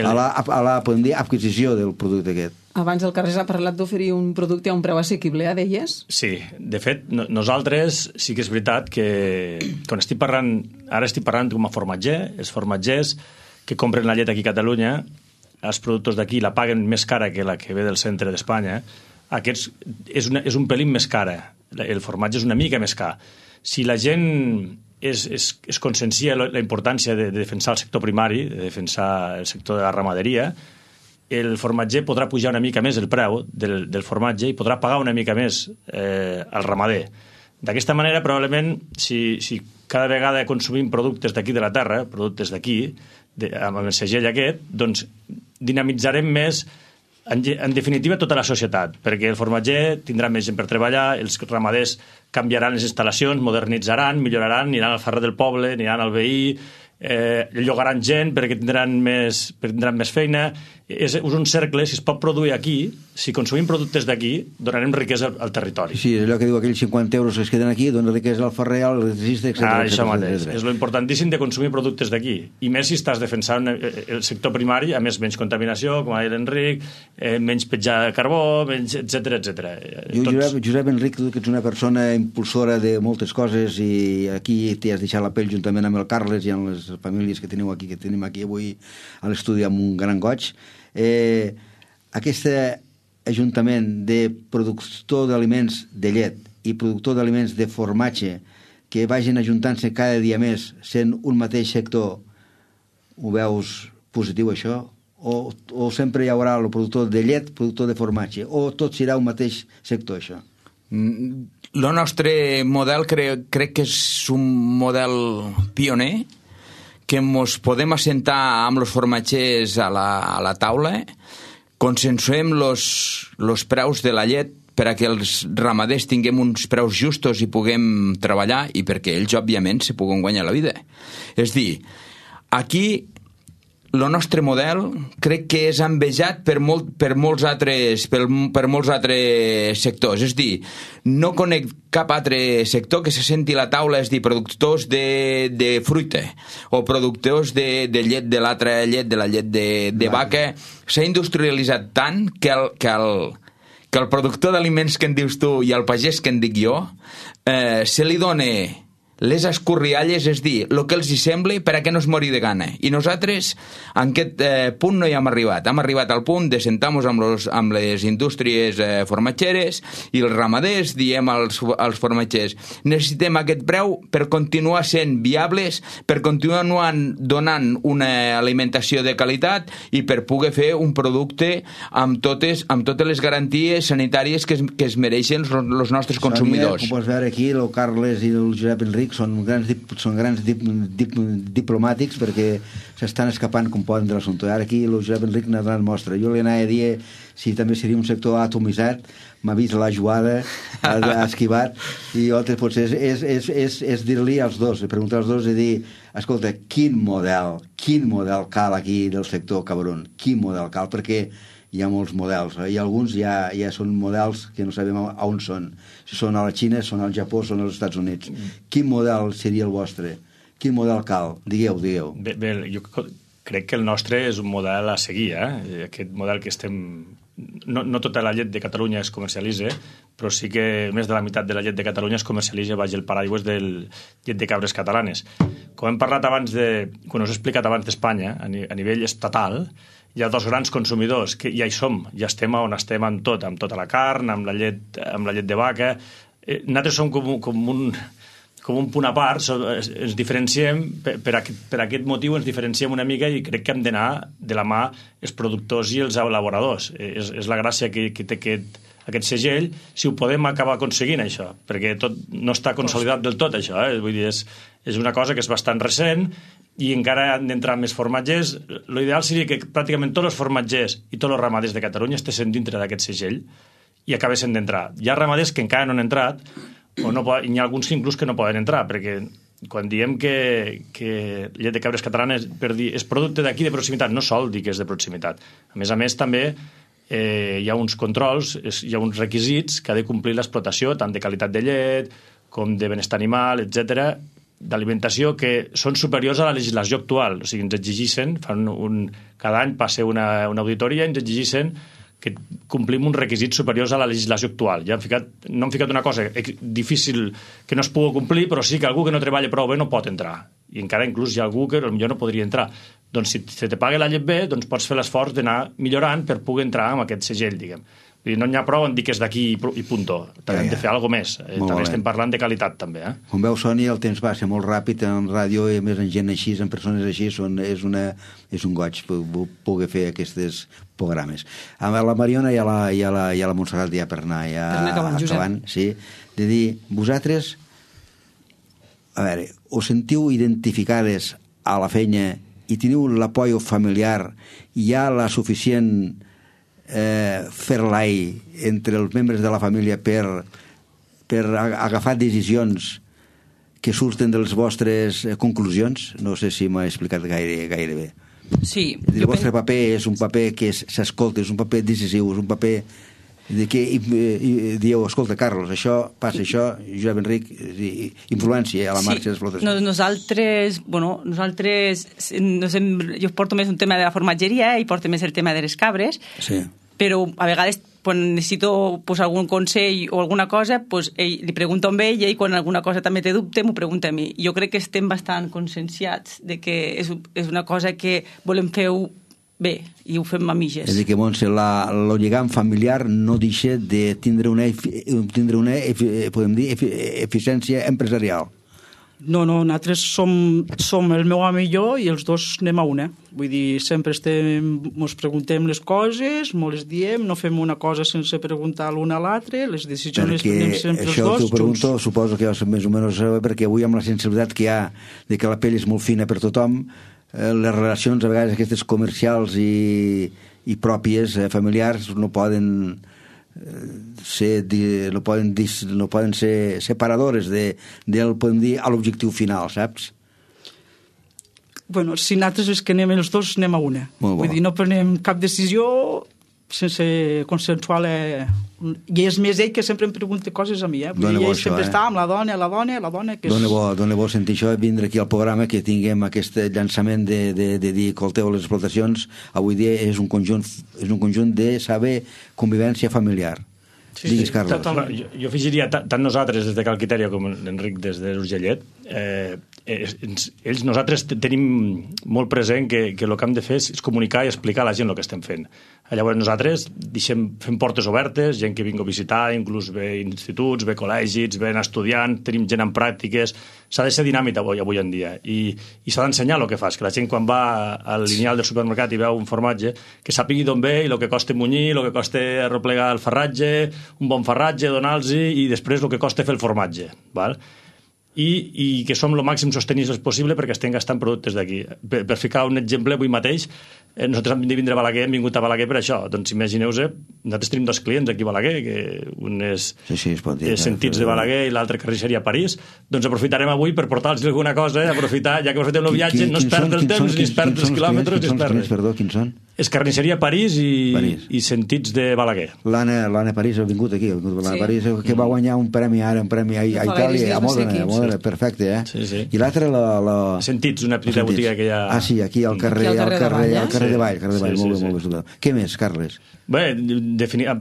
la podem dir, adquisició del producte aquest. Abans el Carles ha parlat d'oferir un producte a un preu assequible, deies? Sí, de fet, nosaltres sí que és veritat que quan ara estic parlant com a formatger, els formatgers que compren la llet aquí a Catalunya, els productes d'aquí la paguen més cara que la que ve del centre d'Espanya. Aquests és un pelín més cara. El formatge és una mica més car. Si la gent es consciencia la importància de defensar el sector primari, de defensar el sector de la ramaderia, el formatger podrà pujar una mica més el preu del formatge i podrà pagar una mica més al ramader. D'aquesta manera, probablement, si cada vegada consumim productes d'aquí de la terra, productes d'aquí, amb el segell aquest, doncs dinamitzarem més, en definitiva, tota la societat, perquè el formatger tindrà més gent per treballar, els ramaders canviaran les instal·lacions, modernitzaran, milloraran, aniran al ferrer del poble, aniran al veí, llogaran gent perquè tindran més feina. És un cercle, si es pot produir aquí, si consumim productes d'aquí, donarem riquesa al territori. Sí, és allò que diu aquells 50 euros que es queden aquí, donen riquesa al ferrer, al electricista, etc. Això mateix. És lo importantíssim de consumir productes d'aquí. I més si estàs defensant el sector primari, a més, menys contaminació, com ha dit l'Enric, menys petjar de carbó, etc. Josep Enric, tu que ets una persona impulsora de moltes coses i aquí t'hi has deixat la pell juntament amb el Carles i amb les famílies que tenim aquí avui a l'estudi amb un gran goig. Aquest ajuntament de productor d'aliments de llet i productor d'aliments de formatge que vagin ajuntant-se cada dia més sent un mateix sector, ho veus positiu això? O sempre hi haurà el productor de llet, productor de formatge, o tot serà un mateix sector això? El nostre model crec que és un model pioner, que ens podem assentar amb els formatgers a la taula, consensuem els preus de la llet per a que els ramaders tinguem uns preus justos i puguem treballar i perquè ells, òbviament, se puguen guanyar la vida. És dir, aquí el nostre model crec que és envejat per molts altres sectors. És dir, no conec cap altre sector que se senti a la taula, és dir, productors de fruita o productors de llet, de l'altra llet, de la llet de vaca. S'ha industrialitzat tant que el productor d'aliments que en dius tu i el pagès que en dic jo se li dona les escorrialles, és dir, el que els hi sembla per a que no es mori de gana. I nosaltres en aquest punt no hi hem arribat. Hem arribat al punt de sentar-nos amb les indústries formatgeres i els ramaders diem als formatgers: necessitem aquest preu per continuar sent viables, per continuar donant una alimentació de qualitat i per poder fer un producte amb totes les garanties sanitàries que es mereixen els nostres consumidors. Com pots veure aquí, el Carles i el Josep Enric són grans diplomàtics perquè s'estan escapant com poden de l'assumpte. Ara aquí el Josep Enric n'ha donat mostra. Jo li anava a dir si també seria un sector atomitzat, m'ha vist la jugada, ha esquivat, i altres potser és dir-li als dos, preguntar als dos i dir: escolta, quin model cal aquí del sector cabron? Quin model cal? Perquè hi ha molts models, i alguns ja són models que no sabem on són. Si són a la Xina, són al Japó, són als Estats Units. Quin model seria el vostre? Quin model cal? Digueu. Bé, jo crec que el nostre és un model a seguir, aquest model que estem... No tota la llet de Catalunya es comercialitza, però sí que més de la meitat de la llet de Catalunya es comercialitza baix el paraigües del llet de cabres catalanes. Com hem parlat abans quan us he explicat abans d'Espanya, a nivell estatal, hi ha dos grans consumidors, que ja hi som, ja estem on estem amb tota la carn, amb la llet de vaca. Nosaltres som com un punt a part, ens diferenciem, per aquest motiu ens diferenciem una mica i crec que hem d'anar de la mà els productors i els elaboradors. És la gràcia que té aquest segell, si ho podem acabar aconseguint, això, perquè no està consolidat del tot, això. Vull dir, és una cosa que és bastant recent i encara han d'entrar més formatgers. L'ideal seria que pràcticament tots els formatgers i tots els ramaders de Catalunya estessin dintre d'aquest segell i acabessin d'entrar. Hi ha ramaders que encara no han entrat, i hi ha alguns inclús que no poden entrar, perquè quan diem que llet de cabres catalanes és producte d'aquí de proximitat, no sol dir que és de proximitat. A més, també hi ha uns controls, hi ha uns requisits que ha de complir l'explotació, tant de qualitat de llet com de benestar animal, etc., d'alimentació, que són superiors a la legislació actual. O sigui, ens exigeixen, cada any passa una auditoria, ens exigeixen que complim uns requisits superiors a la legislació actual. No hem ficat una cosa difícil que no es pugui complir, però sí que algú que no treballa prou bé no pot entrar. I encara inclús hi ha algú que potser no podria entrar. Doncs si te paga la llet bé, doncs pots fer l'esforç d'anar millorant per poder entrar amb aquest segell, diguem. No n'hi ha prou en dir que és d'aquí i punto. També hem de fer alguna cosa més. També estem parlant de qualitat, també. Com veu, Sònia, el temps passa molt ràpid en ràdio i a més en gent així, en persones així, és un goig poder fer aquests programes. Amb la Mariona i a la Montserrat ja per anar acabant, sí, de dir, vosaltres, a veure, us sentiu identificades a la feina i teniu l'apoio familiar i hi ha la suficient fer-l'ai entre els membres de la família per agafar decisions que surten de les vostres conclusions? No sé si m'ha explicat gaire bé. Sí. El vostre paper és un paper que s'escolta, és un paper decisiu, és un paper de que dieu, escolta, Carlos, això passa, això, Josep Enric, influència a la marxa d'explotació. Nosaltres, jo porto més un tema de la formatgeria i porto més el tema de les cabres, però a vegades quan necessito algun consell o alguna cosa, li pregunto a ell i ell quan alguna cosa també té dubte m'ho pregunta a mi. Jo crec que estem bastant conscienciats de que és una cosa que volem fer bé, i ho fem a mitges. És a dir, que Montse, el lligam familiar no deixa de tindre una podem dir, eficiència empresarial. No, nosaltres som el meu home i jo i els dos anem a una. Vull dir, sempre ens preguntem les coses, ens les diem, no fem una cosa sense preguntar l'una a l'altre, les decisions les prenem sempre els dos. Això t'ho pregunto, suposo que més o menys perquè avui amb la sensibilitat que hi ha de que la pell és molt fina per tothom, les relacions a vegades aquestes comercials i pròpies, familiars, no poden ser separadores del, podem dir, a l'objectiu final, saps? Bueno, si nosaltres és que anem els dos, anem a una. Vull dir, no prenem cap decisió sense consensuar i és més ell que sempre em pregunta coses a mi, vull dir, ell sempre està amb la dona que és... Dóna bo sentir això, vindre aquí al programa, que tinguem aquest llançament de dir, escolteu, les explotacions avui dia és un conjunt de saber convivència familiar. Digues, Carlos. Jo afegiria, tant nosaltres des de Cal Quitèria com l'Enric des de l'Urgellet, nosaltres tenim molt present que el que hem de fer és comunicar i explicar a la gent el que estem fent. Llavors nosaltres fem portes obertes, gent que vinga a visitar, inclús ve instituts, ve col·legis, ven estudiants, tenim gent en pràctiques, s'ha de ser dinàmic avui en dia i s'ha d'ensenyar el que fas, que la gent quan va al lineal del supermercat i veu un formatge, que sàpigui d'on ve i el que costa munyir, el que costa arreplegar el farratge, un bon farratge, donar-los i després el que costa fer el formatge, val? I que som el màxim sostenibles possible perquè estem gastant productes d'aquí. Per ficar un exemple, avui mateix, nosaltres hem de vindre a Balaguer, hem vingut a Balaguer per això. Doncs imagineu-vos, nosaltres tenim dos clients aquí a Balaguer, que un és Sentits de Balaguer i l'altre Carnisseria París. Doncs aprofitarem avui per portar-los alguna cosa, aprofitar, ja que aprofitem el viatge, no es perd el temps, ni es perd els quilòmetres, ni es perd res. Perdó, quins són? És Carnisseria París i Sentits de Balaguer. L'Anna París ha vingut aquí, l'Anna París, que va guanyar un premi ara, un premi a Itàlia, a Modena, perfecte, Sí. I l'altre, Sentits, una petita botiga que hi ha... Ah, sí, aquí al carrer de Vall, molt bé. Què més, Carles? Bé,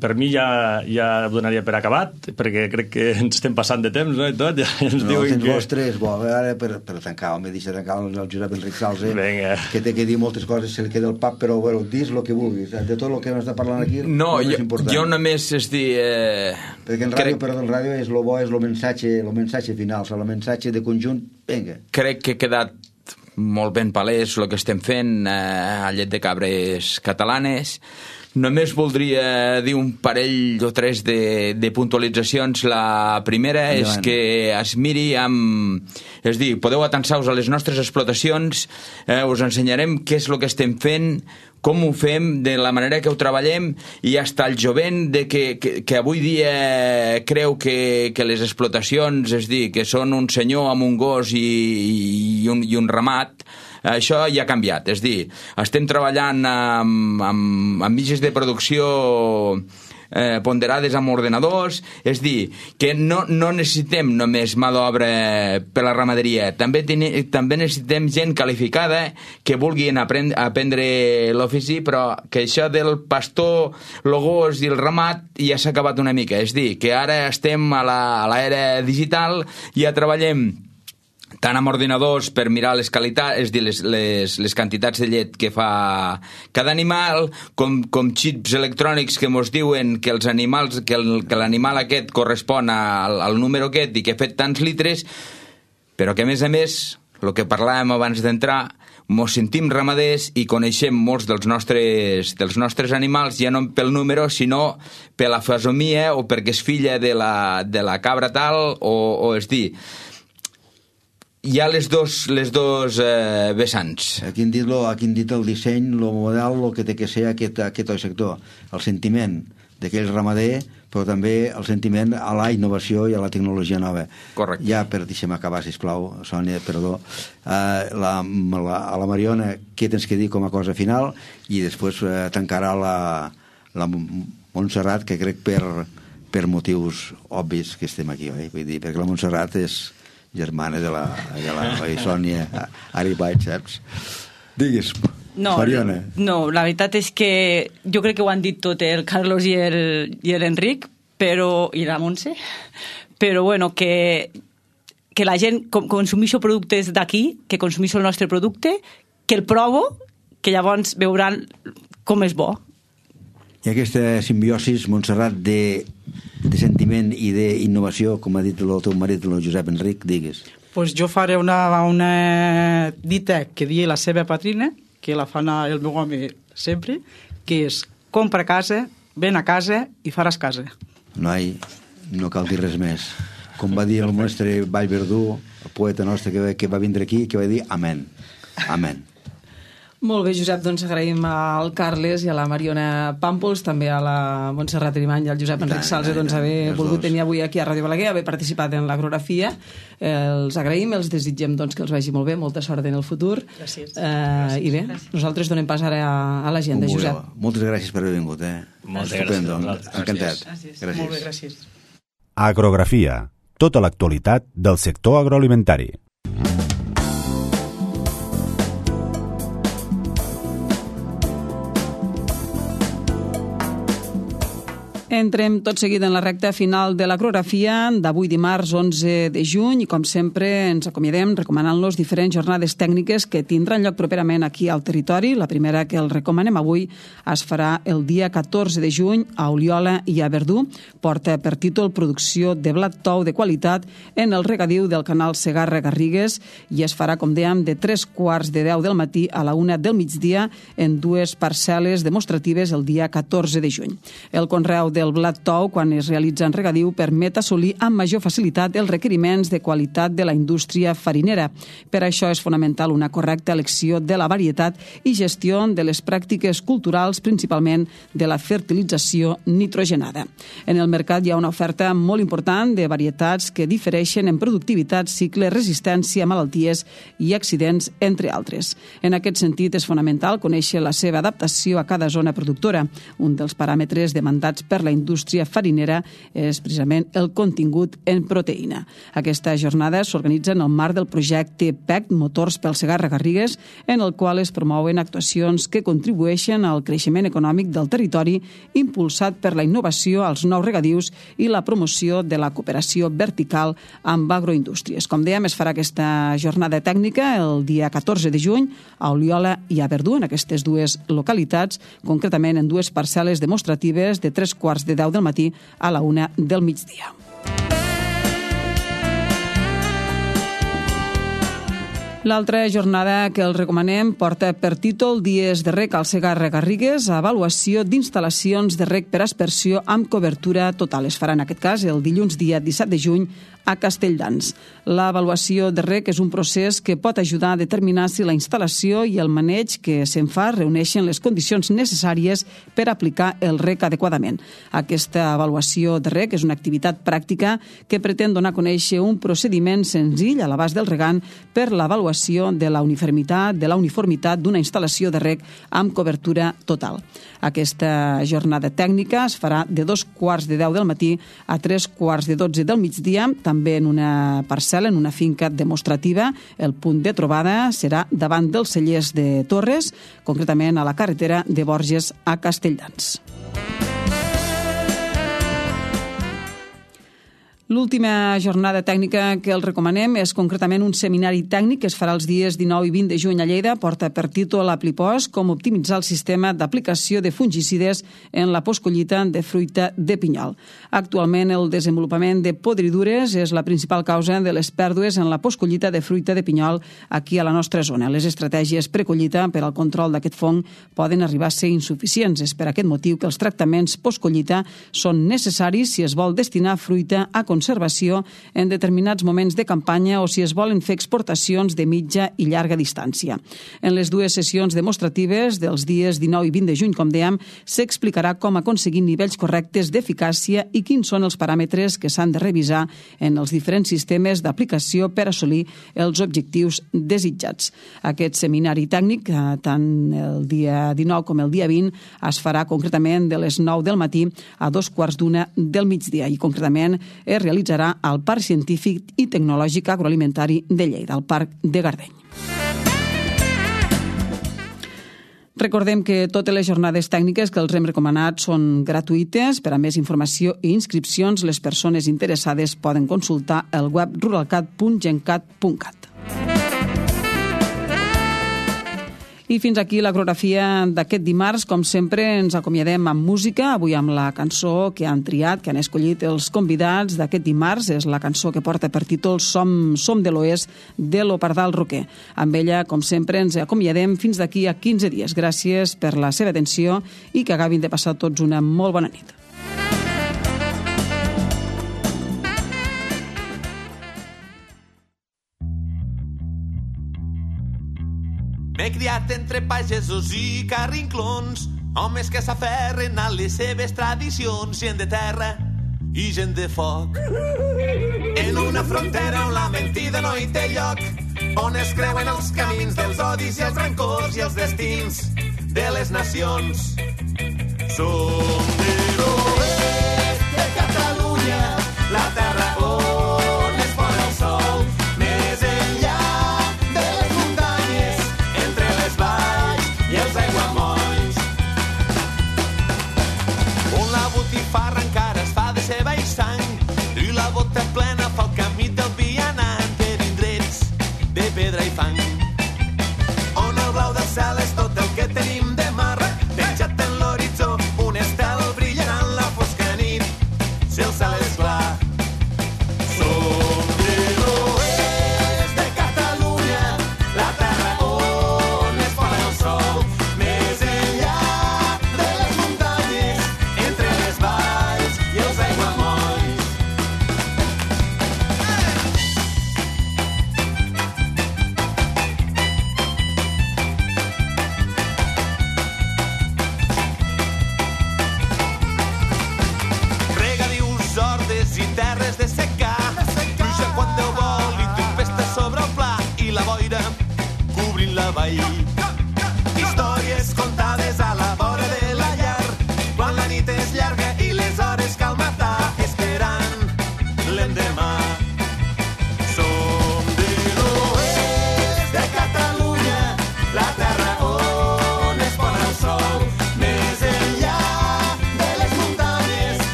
per mi ja ho donaria per acabat, perquè crec que ens estem passant de temps, no?, i tot. Tens vostres, ara per tancar, deixa tancar el Josep Enric Salse, que té que dir moltes coses, se li queda el pap, però dis el que vulguis, de tot el que hem estat parlant aquí, no, jo només és dir... Perquè el ràdio és el bo, és el mensatge final, el mensatge de conjunt, vinga. Crec que he quedat molt ben palès el que estem fent a Llet de Cabres Catalanes. Només voldria dir un parell o tres de puntualitzacions. La primera és que es miri amb... És dir, podeu atansar-vos a les nostres explotacions, us ensenyarem què és el que estem fent, com ho fem, de la manera que ho treballem, i hasta el jovent que avui dia creu que les explotacions, és dir, que són un senyor amb un gos i un ramat, això ja ha canviat. És dir, estem treballant amb mitges de producció ponderades amb ordenadors, és dir, que no necessitem només mà d'obra per la ramaderia, també necessitem gent qualificada que vulguin aprendre l'ofici, però que això del pastor, el gos i el ramat ja s'ha acabat una mica. És dir, que ara estem a l'era digital, ja treballem tant amb ordinadors per mirar les qualitats, és dir, les quantitats de llet que fa cada animal, com xips electrònics que ens diuen que els animals, que l'animal aquest correspon al número aquest i que ha fet tants litres, però que a més, el que parlàvem abans d'entrar, ens sentim ramaders i coneixem molts dels nostres animals, ja no pel número, sinó per la fesomia o perquè és filla de la cabra tal, o és dir, hi ha les dos vessants. Aquí hem dit el disseny, el model, el que té que ser aquest sector, el sentiment d'aquell ramader però també el sentiment a la innovació i a la tecnologia nova. Correcte. Ja, deixem acabar, sisplau, Sònia, perdó. A la Mariona, què tens que dir com a cosa final? I després tancarà la Montserrat, que crec per motius obvis que estem aquí, oi? Vull dir, perquè la Montserrat és germana de la Sònia Aribay, saps? Digues, Mariona. No, la veritat és que jo crec que ho han dit tot el Carlos i l'Enric, i la Montse, però bueno, que la gent consumeixi productes d'aquí, que consumeixi el nostre producte, que el provo, que llavors veuran com és bo. I aquesta simbiosis, Montserrat, de sentiment i d'innovació, com ha dit el teu marit, el Josep Enric, digues. Pues jo faré una dita que dia la seva patrina, que la fa el meu home sempre, que és compra casa, ven a casa i faràs casa. Noi, no cal dir res més. Com va dir el nostre Vallverdú, el poeta nostre que va vindre aquí, que va dir amén. Amén. Molt bé, Josep, doncs agraïm al Carles i a la Mariona Pàmpols, també a la Montserrat Arimany i al Josep Enric Salze, doncs haver volgut tenir avui aquí a Ràdio Balaguer, haver participat en l'Agrografia. Els agraïm, els desitgem doncs, que els vagi molt bé, molta sort en el futur. Gràcies. I bé, nosaltres donem pas ara a l'agenda, Josep. Moltes gràcies per haver vingut. Moltes gràcies. Encantat. Gràcies. Molt bé, gràcies. Agrografia, tota l'actualitat del sector agroalimentari. Entrem tot seguit en la recta final de l'Agrografia d'avui dimarts 11 de juny i com sempre ens acomiadem recomanant-los diferents jornades tècniques que tindran lloc properament aquí al territori. La primera que el recomanem avui es farà el dia 14 de juny a Oliola i a Verdú. Porta per títol Producció de blat tou de qualitat en el regadiu del canal Segarra-Garrigues i es farà, com dèiem, de 3:15 del matí a la 1 del migdia en dues parcel·les demostratives el dia 14 de juny. El conreu del blat tou, quan es realitza en regadiu, permet assolir amb major facilitat els requeriments de qualitat de la indústria farinera. Per això és fonamental una correcta elecció de la varietat i gestió de les pràctiques culturals, principalment de la fertilització nitrogenada. En el mercat hi ha una oferta molt important de varietats que difereixen en productivitat, cicle, resistència a malalties i accidents, entre altres. En aquest sentit, és fonamental conèixer la seva adaptació a cada zona productora. Un dels paràmetres demandats per la indústria farinera és precisament el contingut en proteïna. Aquesta jornada s'organitza en el marc del projecte PEC Motors pel Segarra-Garrigues, en el qual es promouen actuacions que contribueixen al creixement econòmic del territori, impulsat per la innovació als nous regadius i la promoció de la cooperació vertical amb agroindústries. Com dèiem, es farà aquesta jornada tècnica el dia 14 de juny a Oliola i a Verdú, en aquestes dues localitats, concretament en dues parcel·les demostratives de 3:15 del matí a la 1 del migdia. L'altra jornada que els recomanem porta per títol Dies de reg al Segarra-Garrigues, avaluació d'instal·lacions de reg per aspersió amb cobertura total. Es farà en aquest cas el dilluns dia 17 de juny a Castelldans. L'avaluació de reg és un procés que pot ajudar a determinar si la instal·lació i el maneig que se'n fa reuneixen les condicions necessàries per aplicar el reg adequadament. Aquesta avaluació de reg és una activitat pràctica que pretén donar a conèixer un procediment senzill a l'abast del regant per l'avaluació de la uniformitat d'una instal·lació de reg amb cobertura total. Aquesta jornada tècnica es farà de 2:15 del matí a 3:12 del migdia, també en una parcel·la, en una finca demostrativa. El punt de trobada serà davant dels cellers de Torres, concretament a la carretera de Borges a Castelldans. L'última jornada tècnica que els recomanem és concretament un seminari tècnic que es farà els dies 19 i 20 de juny a Lleida. Porta per títol Aplipos, com optimitzar el sistema d'aplicació de fungicides en la postcollita de fruita de pinyol. Actualment, el desenvolupament de podridures és la principal causa de les pèrdues en la postcollita de fruita de pinyol aquí a la nostra zona. Les estratègies precollita per al control d'aquest fong poden arribar a ser insuficients. És per aquest motiu que els tractaments postcollita són necessaris si es vol destinar fruita a consum conservació en determinats moments de campanya o si es volen fer exportacions de mitja i llarga distància. En les dues sessions demostratives dels dies 19 i 20 de juny, com dèiem, s'explicarà com aconseguir nivells correctes d'eficàcia i quins són els paràmetres que s'han de revisar en els diferents sistemes d'aplicació per assolir els objectius desitjats. Aquest seminari tècnic, tant el dia 19 com el dia 20, es farà concretament de les 9 del matí a 2:15 del migdia i concretament es realitzarà al Parc Científic i Tecnològic Agroalimentari de Lleida, al Parc de Gardeny. Recordem que totes les jornades tècniques que els hem recomanat són gratuïtes. Per a més informació i inscripcions, les persones interessades poden consultar el web ruralcat.gencat.cat. I fins aquí l'agrografia d'aquest dimarts. Com sempre, ens acomiadem amb música, avui amb la cançó que han triat, que han escollit els convidats d'aquest dimarts. És la cançó que porta per títol Som de l'Oest, de l'Opardal Roquer. Amb ella, com sempre, ens acomiadem fins d'aquí a 15 dies. Gràcies per la seva atenció i que acabin de passar tots una molt bona nit. M'he criat entre pagesos i carrinclons, homes que s'aferren a les seves tradicions, gent de terra i gent de foc. En una frontera on la mentida no hi té lloc, on es creuen els camins dels odis i els rancors i els destins de les nacions. Som de l'oest de Catalunya, la terra on es pon el sol, més enllà de les muntanyes, entre les valls i els aiguamolls, on la botifarra encara es fa de ceba i sang i la bota plena